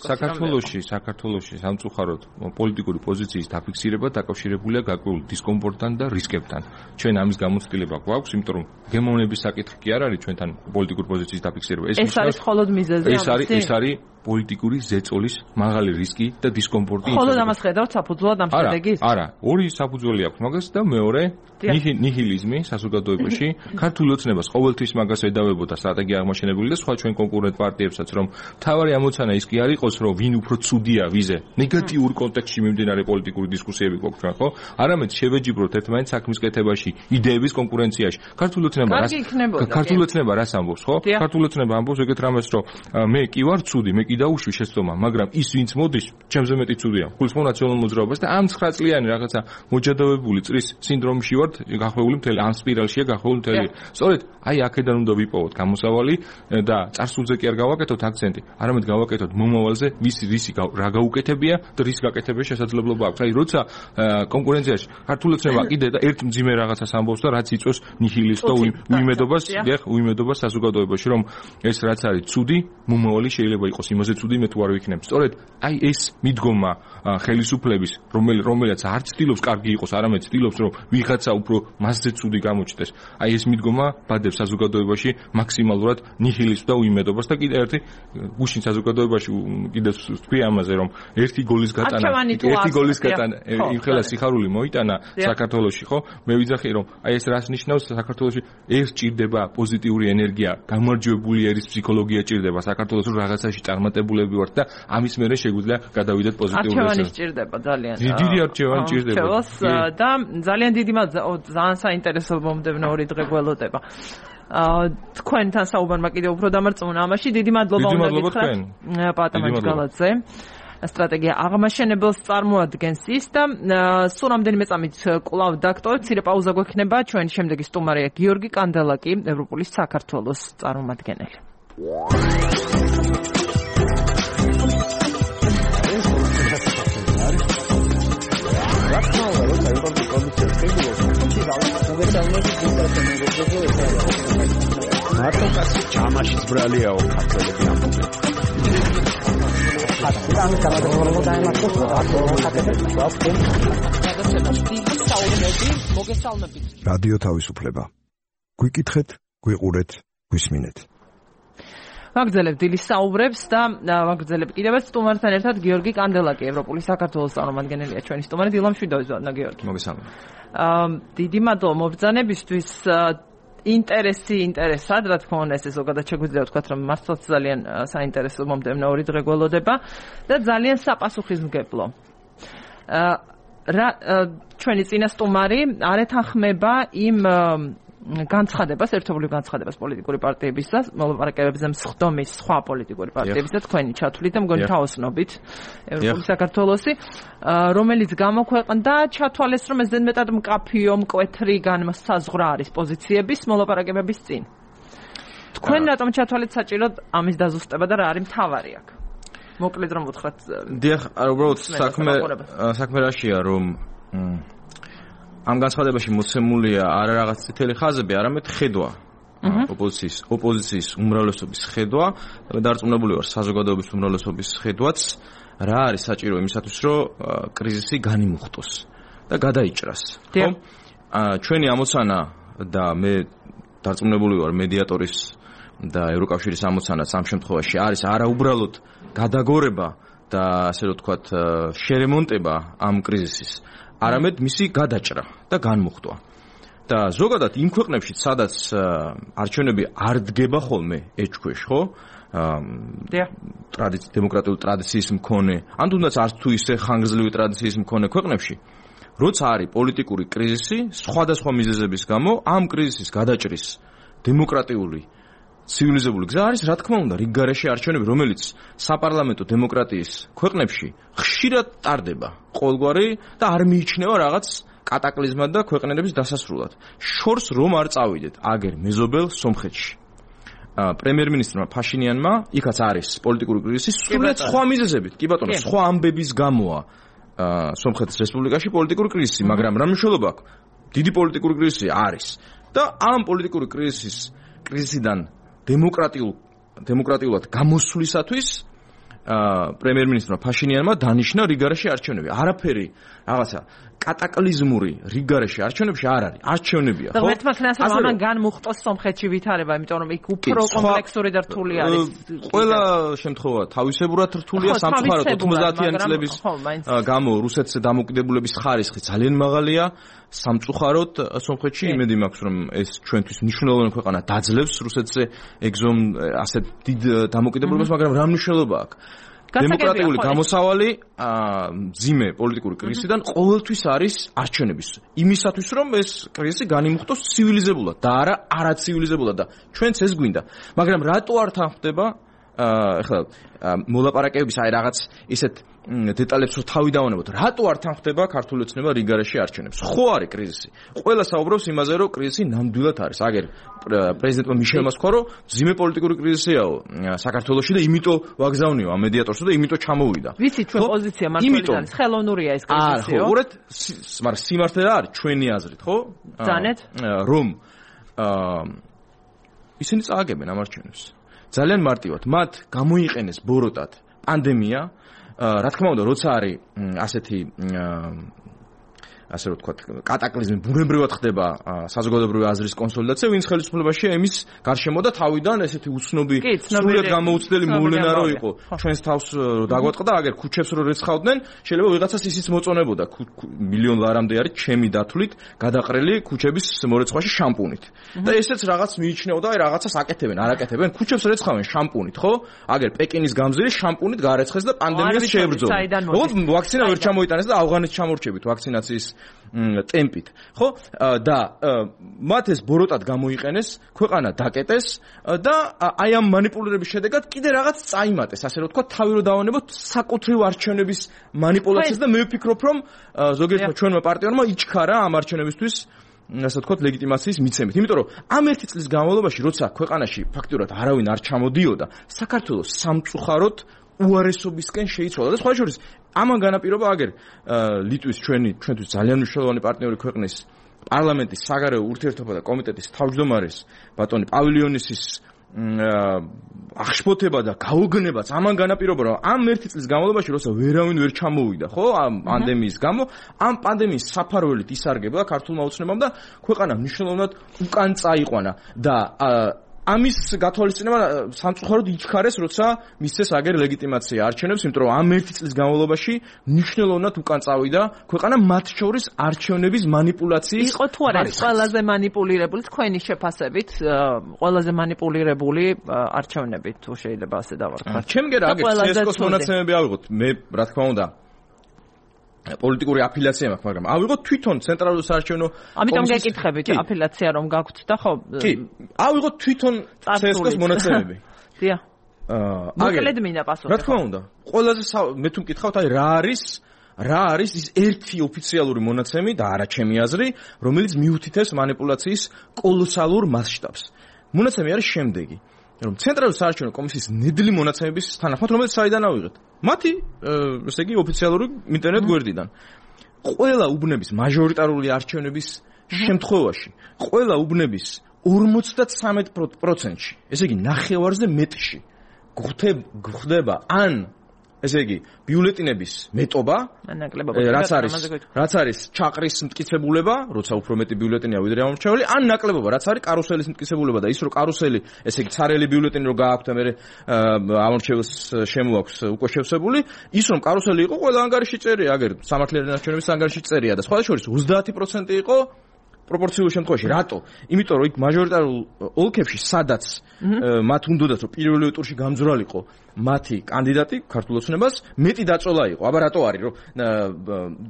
[SPEAKER 1] საქართველოში
[SPEAKER 8] სამწუხაროდ პოლიტიკური პოზიციის დაფიქსირება დაკავშირებულია გაკვეულ დისკომფორტთან და რისკებთან. ჩვენ ამის გამოცდილება გვაქვს, იმიტომ რომ გემოვნების საკითხი კი არ არის ჩვენთან პოლიტიკური პოზიციის დაფიქსირება.
[SPEAKER 1] ეს არის მხოლოდ მიზეზი.
[SPEAKER 8] ეს არის პოლიტიკური ზეწოლის მაღალი რისკი და დისკომფორტი.
[SPEAKER 1] ხოლო ამას ხედავთ საფუძვლად ამ შედეგის?
[SPEAKER 8] არა, ორი საფუძველი აქვს მაგას და მეორე ნიჰილიზმი საზოგადოებაში, ქართული ოცნებას ყოველთვის მაგას ედავებოდა სტრატეგია აღმაშენებული და სხვა ჩვენ კონკურენტ პარტიებსაც, რომ თავარი ამოცანა ის კი არ იყოს, რომ ვინ უფრო ცუდია ვიზე. ნეგატიურ კონტექსტში მიმდინარე პოლიტიკური დისკუსიები გვაქვს ჩვენ, ხო? არამედ შევეჯიბროთ ერთმანეთს საქმის კეთებაში, იდეების კონკურენციაში. ქართული ოცნება რას ამბობს, ხო? ქართული ოცნება ამბობს ეგეთ რამეს, რომ მე კი ვარ ცუდი, მე კი დავუშვი შეცდომა, მაგრამ ის ვინც მოდის, ჩემზე მეტი ცუდია. გულისხმობ ნაციონალურ მოძრაობას და ამ 9 წლიანი რაღაცა მოჯადოვებული წრის სინდრომში ვართ გახვეული მთელი, ამ სპირალშია გახვეული მთელი. სწორედ აი აქედან უნდა ვიპოვოთ გამოსავალი და წარსულზე კი არ გავაკეთოთ აქცენტი, არამედ გავაკეთოთ მომავალზე, ვისი რა გაუკეთებია და რის გაკეთების შესაძლებლობა აქვს. აი როცა კონკურენციაში ქართული ოცნება კიდე და ერთ მძიმე რაღაცას ამბობს და რაც იწვევს ნიჰილისტ და უიმედობას საზოგადოებაში, რომ ეს რაც არის ცუდი, მომავალი შეიძლება იყოს იმაზე ცუდი, მე თუ არ ვიქნებ. სწორედ აი ეს მიდგომა ხელისუფლების, რომელსაც არ ცდილობს კარგი იყოს, არამედ ცდილობს, რომ ვიღაცა უფრო მასზე ცუდი გამოჩნდეს. აი ეს მიდგომა ბადებს საზოგადოებაში მაქსიმალურად ნიჰილიზმს და უიმედობას და კიდე ერთი გუშინ საზოგადოებაში კიდე თქვი ამაზე, რომ ერთი გოლის გატანა იმ ხელა სიხარული მოიტანა საქართველოში, ხო? მე ვიძახი, რომ აი ეს რას ნიშნავს საქართველოში ეს ჭირდება პოზიტიური ენერგია, გამარჯვებული ერის ფსიქოლოგია ჭირდება საქართველოს, რომ რაღაცაში წარმატებულები ვართ და ამის მერე შეგვიძლია გადავიდეთ პოზიტიურ
[SPEAKER 1] არჩევანი ჭირდება ძალიან.
[SPEAKER 8] დიდი არჩევანი ჭირდება.
[SPEAKER 1] და ძალიან დიდი ძალიან საინტერესო მომდევნო ორი დღე გველოდება. თქვენთან საუბარმა კიდევ უფრო დამარწმუნა ამაში. დიდი მადლობა უნდა გითხრათ პატამარ ჯგალაძე. სტრატეგია აღმაშენებელს წარმოადგენს ის და სულ რამდენიმე წამით კვლავ დაგტოვებთ, მცირე პაუზა გვექნება, ჩვენი შემდეგი სტუმარია გიორგი კანდელაკი, ევროპულის საქართველოს წარმომადგენელი.
[SPEAKER 6] მარტო კაცი ჩამაშიც ბრალიაო ქართველები ამბობენ.
[SPEAKER 7] რადიო თავისუფლება. გვიკითხეთ, გვიყურეთ, გვისმინეთ.
[SPEAKER 1] ვაგრძელებ დილის საუბრებს და ვაგრძელებ კიდევ სტუმართან ერთად გიორგი კანდელაკი, ევროპულის საქართველოს წარმომადგენელია ჩვენი სტუმარი. დილა მშვიდობის ბატონო გიორგი.
[SPEAKER 8] მოგესალმებით.
[SPEAKER 1] დიდი მადლობა მობრძანებისთვის. ინტერესად, რა თქმა უნდა, ეს ზოგადად შეგვიძლია ვთქვათ, რომ მართლაც ძალიან საინტერესო მომდევნო ორი დღე გველოდება და ძალიან საპასუხისმგებლო. ჩვენი წინა სტუმარი არ ეთანხმება იმ განცხადებას, ერთობლივ განცხადებას პოლიტიკური პარტიების და მოლაპარაკებებზე მსხდომის სხვა პოლიტიკური პარტიების და თქვენი ჩათვლით და მგონი თაოსნობით ევროპული საქართველოსი, რომელიც გამოქვეყნდა, ჩათვალეს, რომ ეს ზედმეტად მკაფიო, მკვეთრი განმსაზღვრა არის პოზიციების მოლაპარაკებების წინ. თქვენ რატომ ჩათვალეთ საჭიროდ ამის დაზუსტება და რა არის მთავარი აქ? მოკლედ რომ ვუთხრათ.
[SPEAKER 9] დიახ, უბრალოდ საქმე რაშია, რომ ამ განცხადებაში მოცემულია არა რაღაც წითელი ხაზები, არამედ ხედვა. ოპოზიციის უმრავლესობის ხედვა, დარწმუნებული ვარ საზოგადოების უმრავლესობის ხედვაც, რა არის საჭირო იმისათვის, რომ კრიზისი განიმუხტოს და გადაიჭრას. ხო? ჩვენი ამოცანა და მე დარწმუნებული ვარ მედიატორის და ევროკავშირის ამოცანაც ამ შემთხვევაში არის არა უბრალოდ გადაგორება და ასე რომ ვთქვათ შერემონტება ამ კრიზისის, არამედ მისი გადაჭრა და განმუხტვა. და ზოგადად იმ ქვეყნებში, სადაც არჩევნები არ დგება ხოლმე ეჭქვეშ, ხო? დემოკრატიული ტრადიციის მქონე, ან თუნდაც არც თუ ისე ხანგრძლივი ტრადიციის მქონე ქვეყნებში, როცა არის პოლიტიკური კრიზისი, სხვადასხვა მიზეზების გამო, ამ კრიზისის გადაჭრის დემოკრატიული ცივილიზებული გზა არის, რა თქმა უნდა, რიგგარეშე არჩევნები, რომელიც საპარლამენტო დემოკრატიის ქვეყნებში ხშირად ტარდება ყოველგვარი და არ მიიჩნევა რაღაც კატაკლიზმად და ქვეყნების დასასრულად. შორს რომ არ წავიდეთ, აგერ მეზობელ სომხეთში. პრემიერ-მინისტრმა ფაშინიანმა, იქაც არის პოლიტიკური კრიზისი, სრულიად სხვა მიზეზებით, კი ბატონო, სხვა ამბების გამოა სომხეთის რესპუბლიკაში პოლიტიკური კრიზისი, მაგრამ რა მნიშვნელობა აქვს? დიდი პოლიტიკური კრიზისი არის და ამ პოლიტიკური კრიზისიდან დემოკრატიულად გამოსვლისათვის პრემიერ-მინისტრმა ფაშინიანმა დანიშნა რიგგარეშე არჩევნები. არაფერი რაღაცა კატაკლიზმური რიგგარეშე არჩევნებში არ არის. არჩევნებია, ხო?
[SPEAKER 1] და მეთქმა ხნას რომ ამან განმუხტოს სომხეთში ვითარება, იმიტომ რომ იქ უფრო კომპლექსური და რთული არის.
[SPEAKER 9] ყველა შემთხვევა თავისებურად რთულია, სამწუხაროდ 90-იანი წლების გამო რუსეთს დამოუკიდებლობის ხარისხი ძალიან მაღალია. სამწუხაროდ სომხეთში იმედი მაქვს რომ ეს ჩვენთვის მნიშვნელოვანი ქვეყანა დაძლევს რუსეთზე ეგზომ ასეთ დიდ დამოუკიდებლობას, მაგრამ რა მნიშვნელობა აქვს? დემოკრატიული გამოსავალი მძიმე პოლიტიკური კრიზისიდან ყოველთვის არის არჩევნების იმისათვის რომ ეს კრიზისი განიმუხტოს ცივილიზებულად და არა არაცივილიზებულად და ჩვენც ეს გვინდა, მაგრამ რატო არ თანხმდება ახლა მოლაპარაკებების აი რაღაც ისეთ დეტალებს რო თავი დავანებოთ, რატო არ თანხმდება ქართული ოცნება რიგგარეშე არჩევნებს? ხო არის კრიზისი. ყველა საუბრობს იმაზე, რომ კრიზისი ნამდვილად არის. აგერ პრეზიდენტმა მიშელმა თქვა, რომ ძიმე პოლიტიკური კრიზისიაო საქართველოში და იმიტომ ვაგზავნიო ამ მედიატორს და იმიტომ ჩამოვიდა.
[SPEAKER 1] ვიცი ჩვენ პოზიცია მართლაც არის, ხელოვნურია ეს კრიზისიო.
[SPEAKER 9] ხო, უბრალოდ მაგრამ სიმართლე რა არის ჩვენი აზრით, ხო?
[SPEAKER 1] ძანეთ?
[SPEAKER 9] რომ ისინი წააგებენ ამ არჩევნებს. ძალიან მარტივად, მათ გამოიყენეს ბოროტად პანდემია. რა თქმა უნდა, როცა არის ასეთი ასე რომ ვთქვათ, კატაკლიზმი ბუნებრივად ხდება საზოგადოებრივი აზრის კონსოლიდაცია, ვინც ხელისუფლებაშია იმის გარშემო და თავიდან ესეთი უცნობი სრულიად გამოუცდელი მოვლენა რო იყო. ჩვენს თავს დაგვატყდა, აგერ ქუჩებს რო რეცხავდნენ, შეიძლება ვიღაცას ისიც მოწონებოდა. მილიონ ლარამდე არის ჩემი დათვლით გადაყრელი ქუჩების მორეცხვაში შამპუნით. და ესეც რაღაც მიიჩნეოდა, აი რაღაცას აკეთებენ, არ აკეთებენ, ქუჩებს რეცხავენ შამპუნით, ხო? აგერ პეკინის გამზირი შამპუნით გაარეცხეს და პანდემიას შეებრძოლა. ოღონდ ვაქცინა ვერ ჩამოიტანეს და ავღანეთს ჩამორჩებით ვაქცინაციის ტემპით, ხო? და მათ ეს ბოროტად გამოიყენეს, ქვეყანა დაკეტეს და აი ამ манипуლირების შედეგად კიდე რაღაც წაიმატეს, ასე რომ ვთქვა, თავი რო დავანებოთ საკუთრივ არჩევნების манипуლაციას და მე ვფიქრობ, რომ ზოგიერთმა ჩვენმა პარტიორმა იჩქარა ამ არჩევნებისთვის ასე ვთქვათ, ლეგიტიმაციის მიცემით. იმიტომ რომ ამ ერთი წლის განმავლობაში, როცა ქვეყანაში ფაქტურად არავინ არ ჩამოდიოდა, საქართველოს სამწუხაროდ უარესობისკენ შეიცვალა და სხვა შორის ამან განაპირობა აგერ ლიტვის ჩვენთვის ძალიან მნიშვნელოვანი პარტნიორი ქვეყნის პარლამენტის საგარეო ურთიერთობა და კომიტეტის თავმჯდომარის ბატონი პავილიონისის აღშფოთება და გაოგნებაც ამან განაპირობა რომ ამ ერთი წლის განმავლობაში როცა ვერავინ ვერ ჩამოვიდა, ხო, ამ პანდემიის გამო, ამ პანდემიის საფარველით ისარგებლა ქართულმა ოცნებამ და ქვეყანა მნიშვნელოვნად უკან წაიყვანა და ამის გათვალისწინება სამწუხაროდ იჩქარეს, როცა მისცეს აგერ ლეგიტიმაცია არჩევნებს, იმიტომ რომ ამ ერთი წლის განმავლობაში მნიშვნელოვნად უკან წავიდა ქვეყანა მათ შორის არჩევნების манипуლაციის.
[SPEAKER 1] იყო თუ არა ყველაზე манипуლირებული თქვენი შეფასებით, ყველაზე манипуლირებული არჩევნები თუ შეიძლება ასე დავარქვათ.
[SPEAKER 9] ჩემგერა აგერ CSKO-ს მონაცემები ავიღოთ. მე რა თქმა უნდა პოლიტიკური აფილიაცია მაქვს, მაგრამ ავიღოთ თვითონ ცენტრალური საარჩევნო კომისიის.
[SPEAKER 1] ამიტომ გეკითხებით აფილიაცია რომ გაქვთ და ხო?
[SPEAKER 9] კი, ავიღოთ თვითონ CSKO-ს მონაცემები.
[SPEAKER 1] დიახ. მოკლედ მინდა პასუხი.
[SPEAKER 9] რა თქმა უნდა, ყველაზე მე თუ მკითხავთ, აი რა არის ის ერთი ოფიციალური მონაცემი და არა ჩემი აზრი, რომელიც მიუთითებს манипуლაციის კოლოსალურ მასშტაბს. მონაცემი არის შემდეგი. რომ ცენტრალური საარჩევნო კომისიის ნედლი მონაცემების თანახმად, რომელიც საიდან ავიღეთ? მათი, ესე იგი, ოფიციალური ინტერნეტ გვერდიდან. ყველა უბნების მაჟორიტარული არჩევნების შემთხვევაში, ყველა უბნების 53%-ში, ესე იგი, ნახევარზე მეტში გვხდება ან ესე იგი, ბიულეტინების მეტობა, რაც არის ჩაყრის მტკიცებულება, როცა უფრო მეტი ბიულეტინია ვიდრე ამორჩეული, ან ნაკლებობა, რაც არის კარუსელის მტკიცებულება და ის რომ კარუსელი, ესე იგი, ცარიელი ბიულეტინი რო გააქვთ, მე ამორჩეულს შემოაქვს უკვე შევსებული, ის რომ კარუსელი იყო, ყველა ანგარიში წერია, აგერ სამართლიანი არჩევნების ანგარიში წერია და სხვა შორის 30% იყო პროპორციულ შემთხვევაში. რატო? იმიტომ რომ იქ მაჟორიტარულ ოლქებში, სადაც მათ უნდათ რომ პირველი ტურში გამძვრალიყო მათი კანდიდატი ქართულ ოცნებას, მეტი დაწოლა იყო. აბა რატო არის რომ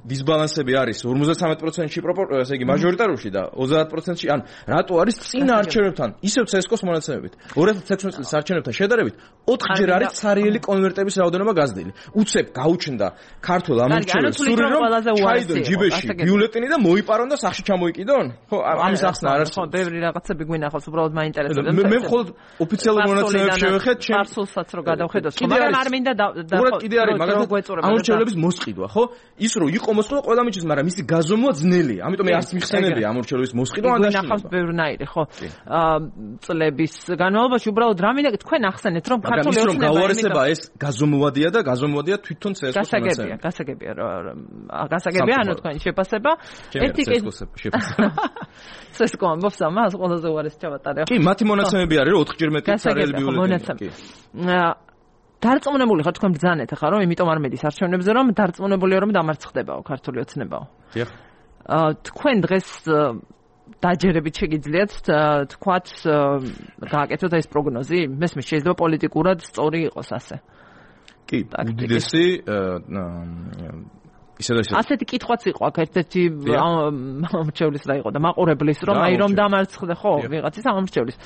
[SPEAKER 9] დისბალანსები არის 53%-ში ესე იგი მაჟორიტარულში და 30%-ში, ან რატო არის წინა არჩევნებთან, ისევ CSKO-ს მონაცემებით 2016 წლის არჩევნებთან შედარებით 4-ჯერ არის ცარიელი კონვერტების რაოდენობა გაზრდილი. უცებ გაუჩნდა ქართულ ამორჩეულს სურვილი რომ ჩაიდონ ჯიბეში ბიულეტინი და მოიპარონ და სახში ჩამოიკიდონ. თვითონ ხო ამის ახსნა არ არის.
[SPEAKER 1] ხო, ბევრი რაღაცები გვინახავს, უბრალოდ მაინტერესებდა.
[SPEAKER 9] მე მხოლოდ ოფიციალურ მონაცემებს შევეხეთ,
[SPEAKER 1] პარსულსაც რო გადავხედოთ, მაგრამ არ მინდა
[SPEAKER 9] უბრალოდ კიდე არის, მაგალითად ამორჩევლების მოსყიდვა, ხო? ის რო იყო მოსყიდვა ყველა მიჩნევს, მაგრამ მისი გაზომვა ძნელია. ამიტომ მე არც მიხსენებია ამორჩევლების მოსყიდვა ან დაშინება.
[SPEAKER 1] გვინახავს ბევრნაირი, ხო? წლების განმავლობაში უბრალოდ რა მინდა თქვენ ახსენეთ, რომ ქართული ოცნება
[SPEAKER 9] გაუარესება ეს გაზომვადია და გაზომვადია თვითონ CSGO-ს მონაცემები.
[SPEAKER 1] გასაგებია, ანუ თქვენი შეფასება. ერთი CSGO ამბობს ამას, ყველაზე უარესი ჩავატარე.
[SPEAKER 9] კი, მათი მონაცემები არის, რომ 4-ჯერ მეტი ცარიელი ბიულეტენი.
[SPEAKER 1] დარწმუნებული ხარ თქვენ ბრძანეთ ახლა, რომ იმიტომ არ მედის არჩევნებზე, რომ დარწმუნებულია, რომ დამარცხდებაო ქართული ოცნებაო.
[SPEAKER 9] დიახ.
[SPEAKER 1] თქვენ დღეს დაჯერებით შეგიძლიათ თქვათ გააკეთოთ ეს პროგნოზი? მესმის შეიძლება პოლიტიკურად სწორი იყოს ასე.
[SPEAKER 9] კი, უდიდესი
[SPEAKER 1] ასეთი კითხვაც იყო აქ ერთ-ერთი ამორჩევლის რა იყო და მაყურებლის რომ აი რომ დამარცხდა ხო ვიღაცის ამორჩევლის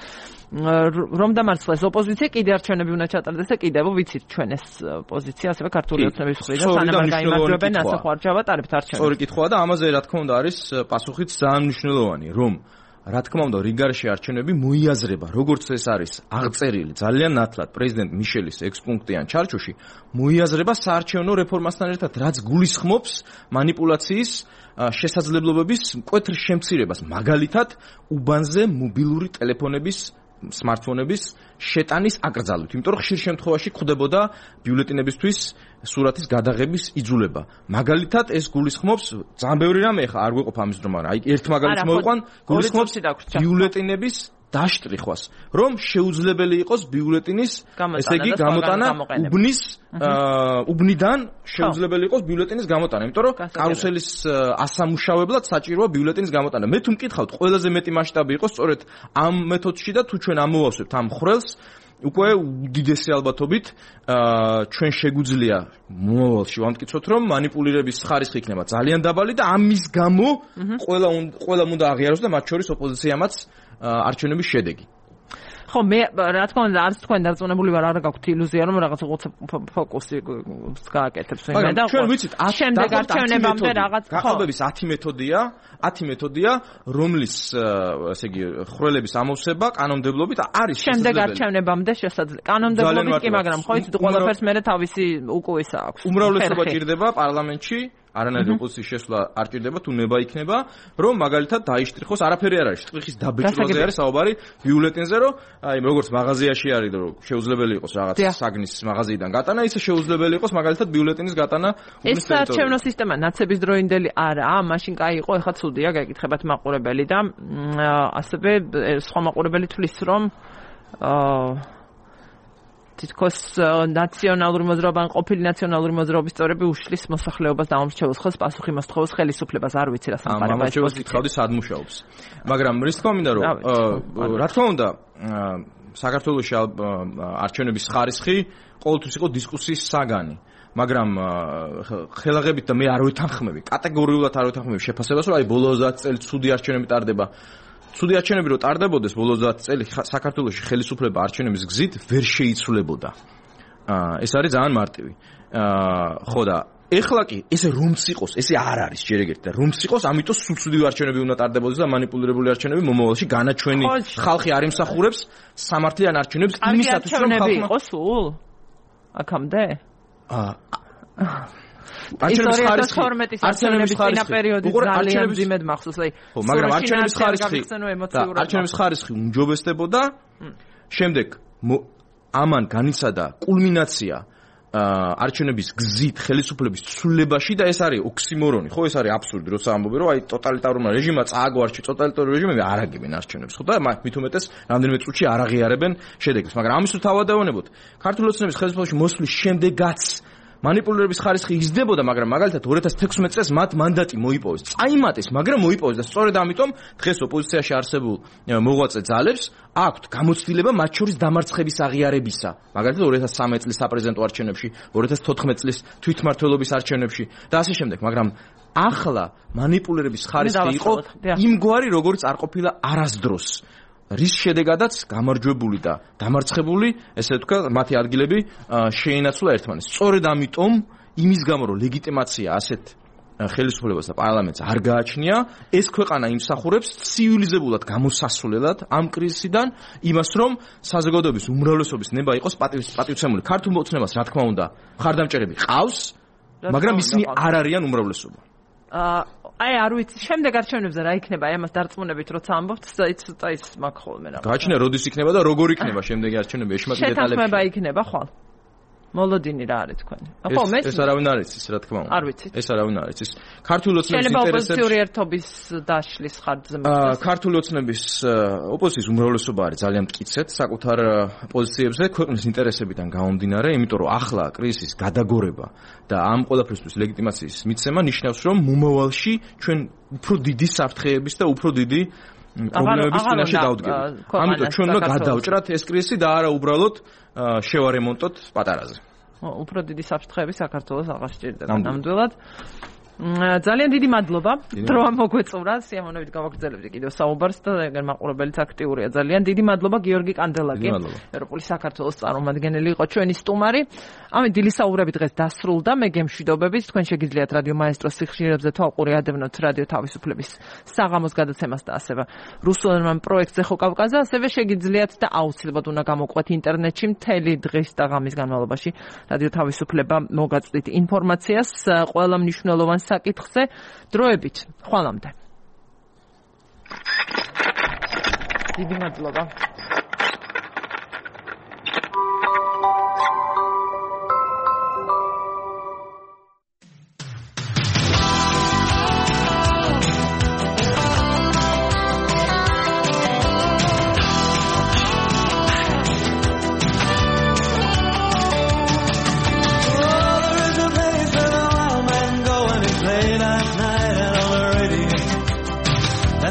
[SPEAKER 1] რომ დამარცხეს ოპოზიცია კიდე არჩევნები უნდა ჩატარდეს და კიდევ ვიცით ჩვენ ეს პოზიცია ასევე ქართული ოცნების მხრიდან სანამ არ გაიმარჯვებენ ასე ხო არ ჩავატარებთ არჩევნებს.
[SPEAKER 9] სწორი კითხვაა და ამაზე რა თქმა უნდა არის პასუხიც ძალიან მნიშვნელოვანი რომ რა თქმა უნდა რიგარში არჩევნები მოიაზრება როგორც ეს არის აღწერილი ძალიან ნათლად პრეზიდენტ მიშელის 6 პუნქტიან ჩარჩოში მოიაზრება საარჩევნო რეფორმასთან ერთად რაც გულისხმობს манипуляციის შესაძლებლობების მკვეთრ შემცირებას მაგალითად უბანზე მობილური ტელეფონების smartphone-ების შეტანის აკრძალვით, იმიტომ რომ ხშირ შემთხვევაში გვხვდებოდა ბიულეტინებისთვის სურათის გადაღების იძულება. მაგალითად, ეს გულისხმობს ძალიან ბევრი რამე ხა არ გვეყოფ ამის რომ არა. აი ერთ მაგალითს მოვიყვან, გულისხმობს ბიულეტინების დაშტრიხვას, რომ შეუძლებელი იყოს ბიულეტინის, ესე იგი, გამოტანა უბნიდან შეუძლებელი იყოს ბიულეტინის გამოტანა, იმიტომ რომ კარუსელის ასამუშავებლად საჭიროა ბიულეტინის გამოტანა. მე თუ მკითხავთ, ყველაზე მეტი მასშტაბი იყო სწორედ ამ მეთოდში და თუ ჩვენ ამოვავსებთ ამ ხრელს, უკვე უდიდესი ალბათობით ჩვენ შეგვიძლია მომავალში ვამტკიცოთ, რომ манипуლირების ხარისხი იქნება ძალიან დაბალი და ამის გამო ყველა უნდა აღიაროს და მათ შორის ოპოზიციამაც არჩევნების შედეგი.
[SPEAKER 1] ხო, მე რა თქმა უნდა არც თქვენ დარწმუნებული ვარ, არ გაქვთ ილუზია, რომ რაღაც ფოკუსი გააკეთებს მე და
[SPEAKER 9] ჩვენ ვიცით,
[SPEAKER 1] შემდეგ არჩევნებამდე რაღაც
[SPEAKER 9] გახალბების 10 მეთოდია, რომლის ესე იგი ხრელების ამოვსება კანონმდებლობით არის
[SPEAKER 1] შემდეგ არჩევნებამდე შესაძლებელი. კანონმდებლობით კი, მაგრამ ხო იცით, ყველაფერს მე თავისი უკუისა აქვს.
[SPEAKER 9] უმრავლესობა ჭირდება პარლამენტში არანაირი ოპოზიციის შესვლა არ ჭირდება თუ ნება იქნება, რომ მაგალითად დაიშტრიხოს, არაფერი არ არის, შტრიხის დაბეჭდვაზე არის საუბარი ბიულეტინზე, რომ აი როგორც მაღაზიაში არის, რომ შეუძლებელი იყოს რაღაც საგნის მაღაზიიდან გატანა, ისე შეუძლებელი იყოს მაგალითად ბიულეტინის გატანა
[SPEAKER 1] ეს საარჩევნო სისტემა ნაცების დროინდელი არაა, მაშინ კაი იყო, ეხლა ცუდია, გეკითხებათ მაყურებელი და ასევე სხვა მაყურებელი თვლის, რომ თითქოს ნაციონალური მოძრაობა ან ყოფილი ნაციონალური მოძრაობის წევრები უშლის მოსახლეობას და ამორჩეულს ხელს პასუხი მოსთხოვოს ხელისუფლებას არ ვიცი რა სამყარო
[SPEAKER 9] ამორჩეულს კითხავდი სად მუშაობს მაგრამ რის თქმა მინდა რომ რა თქმა უნდა საქართველოში არჩევნების ხარისხი ყოველთვის იყო დისკუსიის საგანი მაგრამ ხელაღებით და მე არ ვეთანხმები კატეგორიულად არ ვეთანხმები შეფასებას რომ აი ბოლო 30 წელი ცუდი არჩევნები ტარდება ცუდი არჩევნები რო ტარდებოდეს ბოლო 30 წელი საქართველოში ხელისუფლება არჩევნების გზით ვერ შეიცვლებოდა. ეს არის ძალიან მარტივი. ხო და ეხლა კი ესე რომც იყოს, ესე არ არის ჯერ ეგეთი და რომც იყოს, ამიტომ სულ ცუდი არჩევნები უნდა ტარდებოდეს და манипуლირებული არჩევნები მომავალში განაჩვენი ხალხი არ იმსახურებს სამართლიან არჩევნებს იმისათვის რომ
[SPEAKER 1] ხალხი იყოს სულ აქამდე?
[SPEAKER 9] არჩევნების
[SPEAKER 1] პერიოდი ძალიან ძიმედ მახსოვს, აი.
[SPEAKER 9] ხო, მაგრამ არჩევნების ხარისხი უმჯობესდებოდა. შემდეგ ამან განიცადა კულმინაცია არჩევნების გზით ხელისუფლების ცვლილებაში და ეს არის ოქსიმორონი, ხო, ეს არის აბსურდი, როცა ამბობენ, რომ აი ტოტალიტარული რეჟიმმა წააგო ტოტალიტარული რეჟიმები არ აგებენ არჩევნებს, ხო და მით უმეტეს რამდენიმე წუთში არ აღიარებენ შედეგებს, მაგრამ ამის თუ თავადევნებოთ ქართული ოცნების ხელისუფლებაში მოსვლის შემდეგაც манипуლირების ხარისხი იზრდებოდა, მაგრამ მაგალითად 2016 წელს მათ მანდატი მოიპოვეს. წაიმატეს, მაგრამ მოიპოვეს და სწორედ ამიტომ დღეს ოპოზიციაში არსებულ მოღვაწე ძალებს აქვთ გამოცდილება მათ შორის დამარცხების აღიარებისა. მაგალითად 2013 წლის საპრეზიდენტო არჩევნებში, 2014 წლის თვითმმართველობის არჩევნებში და ასე შემდეგ, მაგრამ ახლა манипуლირების ხარისხი იყო იმგვარი, როგორც არ ყოფილა არასდროს. რის შედეგადაც გამარჯვებული და დამარცხებული, ესე ვთქვა, მათი ადგილები შეინაცვლა ერთმანეთს. სწორედ ამიტომ, იმის გამო, რომ ლეგიტიმაცია ასეთ ხელისუფლებას და პარლამენტს არ გააჩნია, ეს ქვეყანა იმსახურებს ცივილიზებულად გამოსასვლელად ამ კრიზისიდან იმას, რომ საზოგადოების უმრავლესობის ნება იყოს პატივცემული. ქართულ მოცნებას, რა თქმა უნდა, მხარდამჭერები ყავს, მაგრამ ისინი არ არიან უმრავლესობა.
[SPEAKER 1] არ ვიცი, შემდეგ არჩევნებზე რა იქნება, ამას დარწმუნებით როცა ამბობთ, ის მაგ ხოლმე რა.
[SPEAKER 9] გააჩნია როდის იქნება და როგორ იქნება შემდეგი არჩევნები, ეშმაკი დეტალები.
[SPEAKER 1] შეთანხმება იქნება ხვალ. მოლოდინი რა არის თქვენი?
[SPEAKER 9] ხო, ეს არავინ არ იცის, რა თქმა უნდა.
[SPEAKER 1] არ ვიცით.
[SPEAKER 9] ეს არავინ არ იცის. ქართული ოცნების
[SPEAKER 1] ინტერესებს შეიძლება ოპოზიციური ერთობის დაშლის ხარჯზე მოხდეს.
[SPEAKER 9] ქართული ოცნების ოპოზიციის უმრავლესობა არის ძალიან მტკიცედ საკუთარ პოზიციებზე, ქვეყნის ინტერესებიდან გამომდინარე, იმიტომ რომ ახლა კრიზისის გადაგორება და ამ ყველაფრისთვის ლეგიტიმაციის მიცემა ნიშნავს, რომ მომავალში ჩვენ უფრო დიდი საფრთხეების და უფრო დიდი პრობლემების წინაშე დავდგებით. ამიტომ ჩვენ უნდა გადავჭრათ ეს კრიზისი და არა უბრალოდ შევარემონტოთ პატარაზე.
[SPEAKER 1] უფრო დიდი საფრთხეები საქართველოს აღარ სჭირდება ნამდვილად. ძალიან დიდი მადლობა. დრო მოგვეწურა, სიამოვნებით გავაგრძელებთ კიდევ საუბარს და ეგერ მაყურებელიც აქტიურია. ძალიან დიდი მადლობა გიორგი კანდელაკი, ევროპული საქართველოს წარმომადგენელი იყო ჩვენი სტუმარი. ამით დილის საუბრები დღეს დასრულდა. მე გემშვიდობებით, თქვენ შეგიძლიათ რადიო მაესტროს სიხშირეებზე თვალყური ადევნოთ რადიო თავისუფლების საღამოს გადაცემას და ასევე რუსულენოვან პროექტზე ხო კავკაზე, ასევე შეგიძლიათ და აუცილებლად უნდა გამოყვეთ ინტერნეტში მთელი დღის და ღამის განმავლობაში რადიო თავისუფლება მოგაწვდით ინფორმაციას ყველა მნიშვნელოვან საკითხზე. დროებით ხვალამდე. დიდი მადლობა.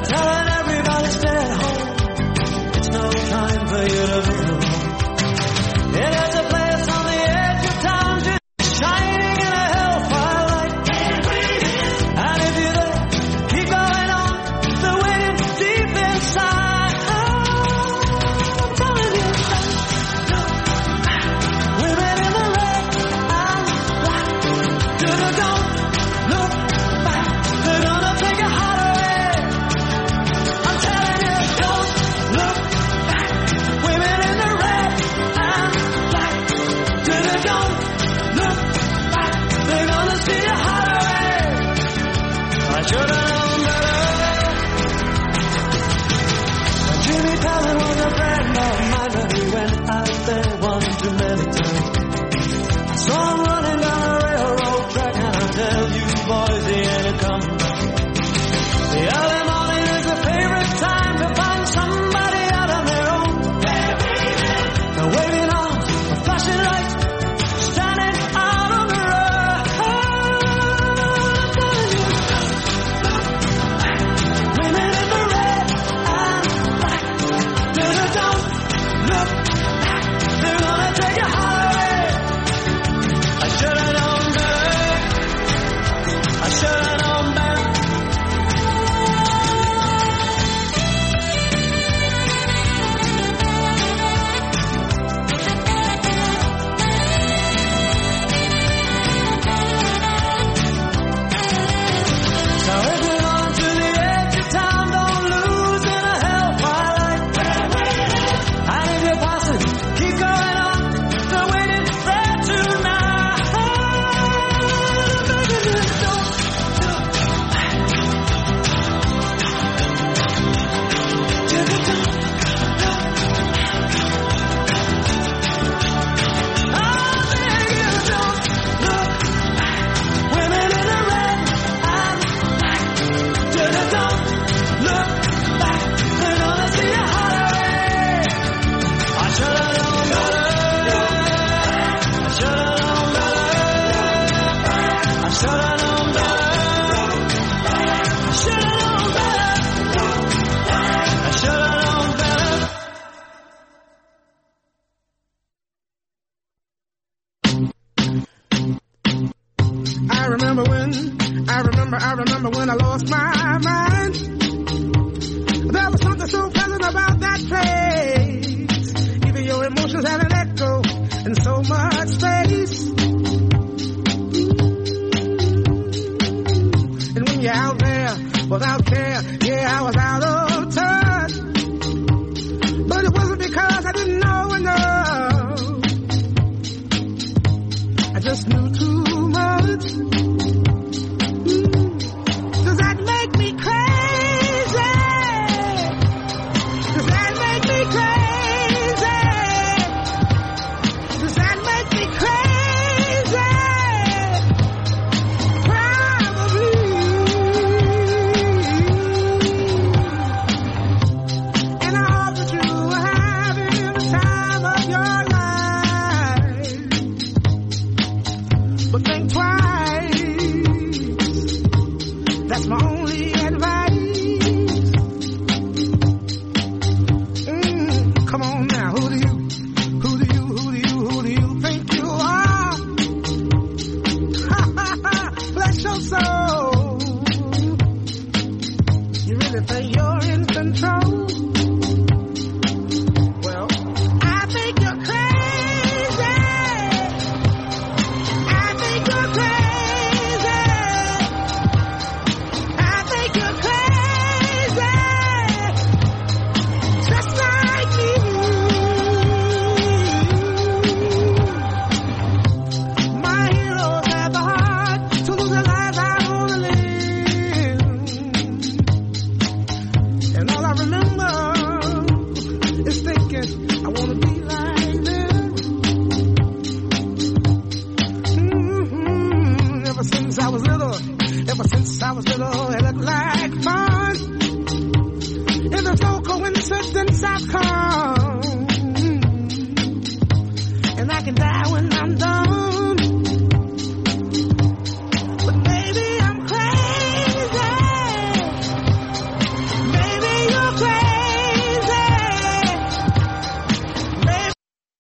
[SPEAKER 10] Telling everybody stay at home. It's no time for you to move. It has a place on the edge of town, just shining in a hellfire light. And if you're there, keep going on. The waiting deep inside. I'm telling you, women in the red and black. Don't look back. They're gonna take your heart away. Should have known better. Jimmy Fallon was a friend of mine, but he went out there one too many times. I saw him running down a railroad track, and I tell you, boys, he ain't coming back. The early morning is a favorite time to find somebody out on their own. They're waving arms, flashing lights, standing out on the road. I remember when I lost my mind. There was something so pleasant about that place. Even your emotions had an echo in so much space.
[SPEAKER 11] was out there, yeah, I was out of touch. But it wasn't because I didn't know enough. I just knew too much. Does that make me crazy? Does that make me crazy? Does that make me crazy? Probably. And I hope that you are having the time of your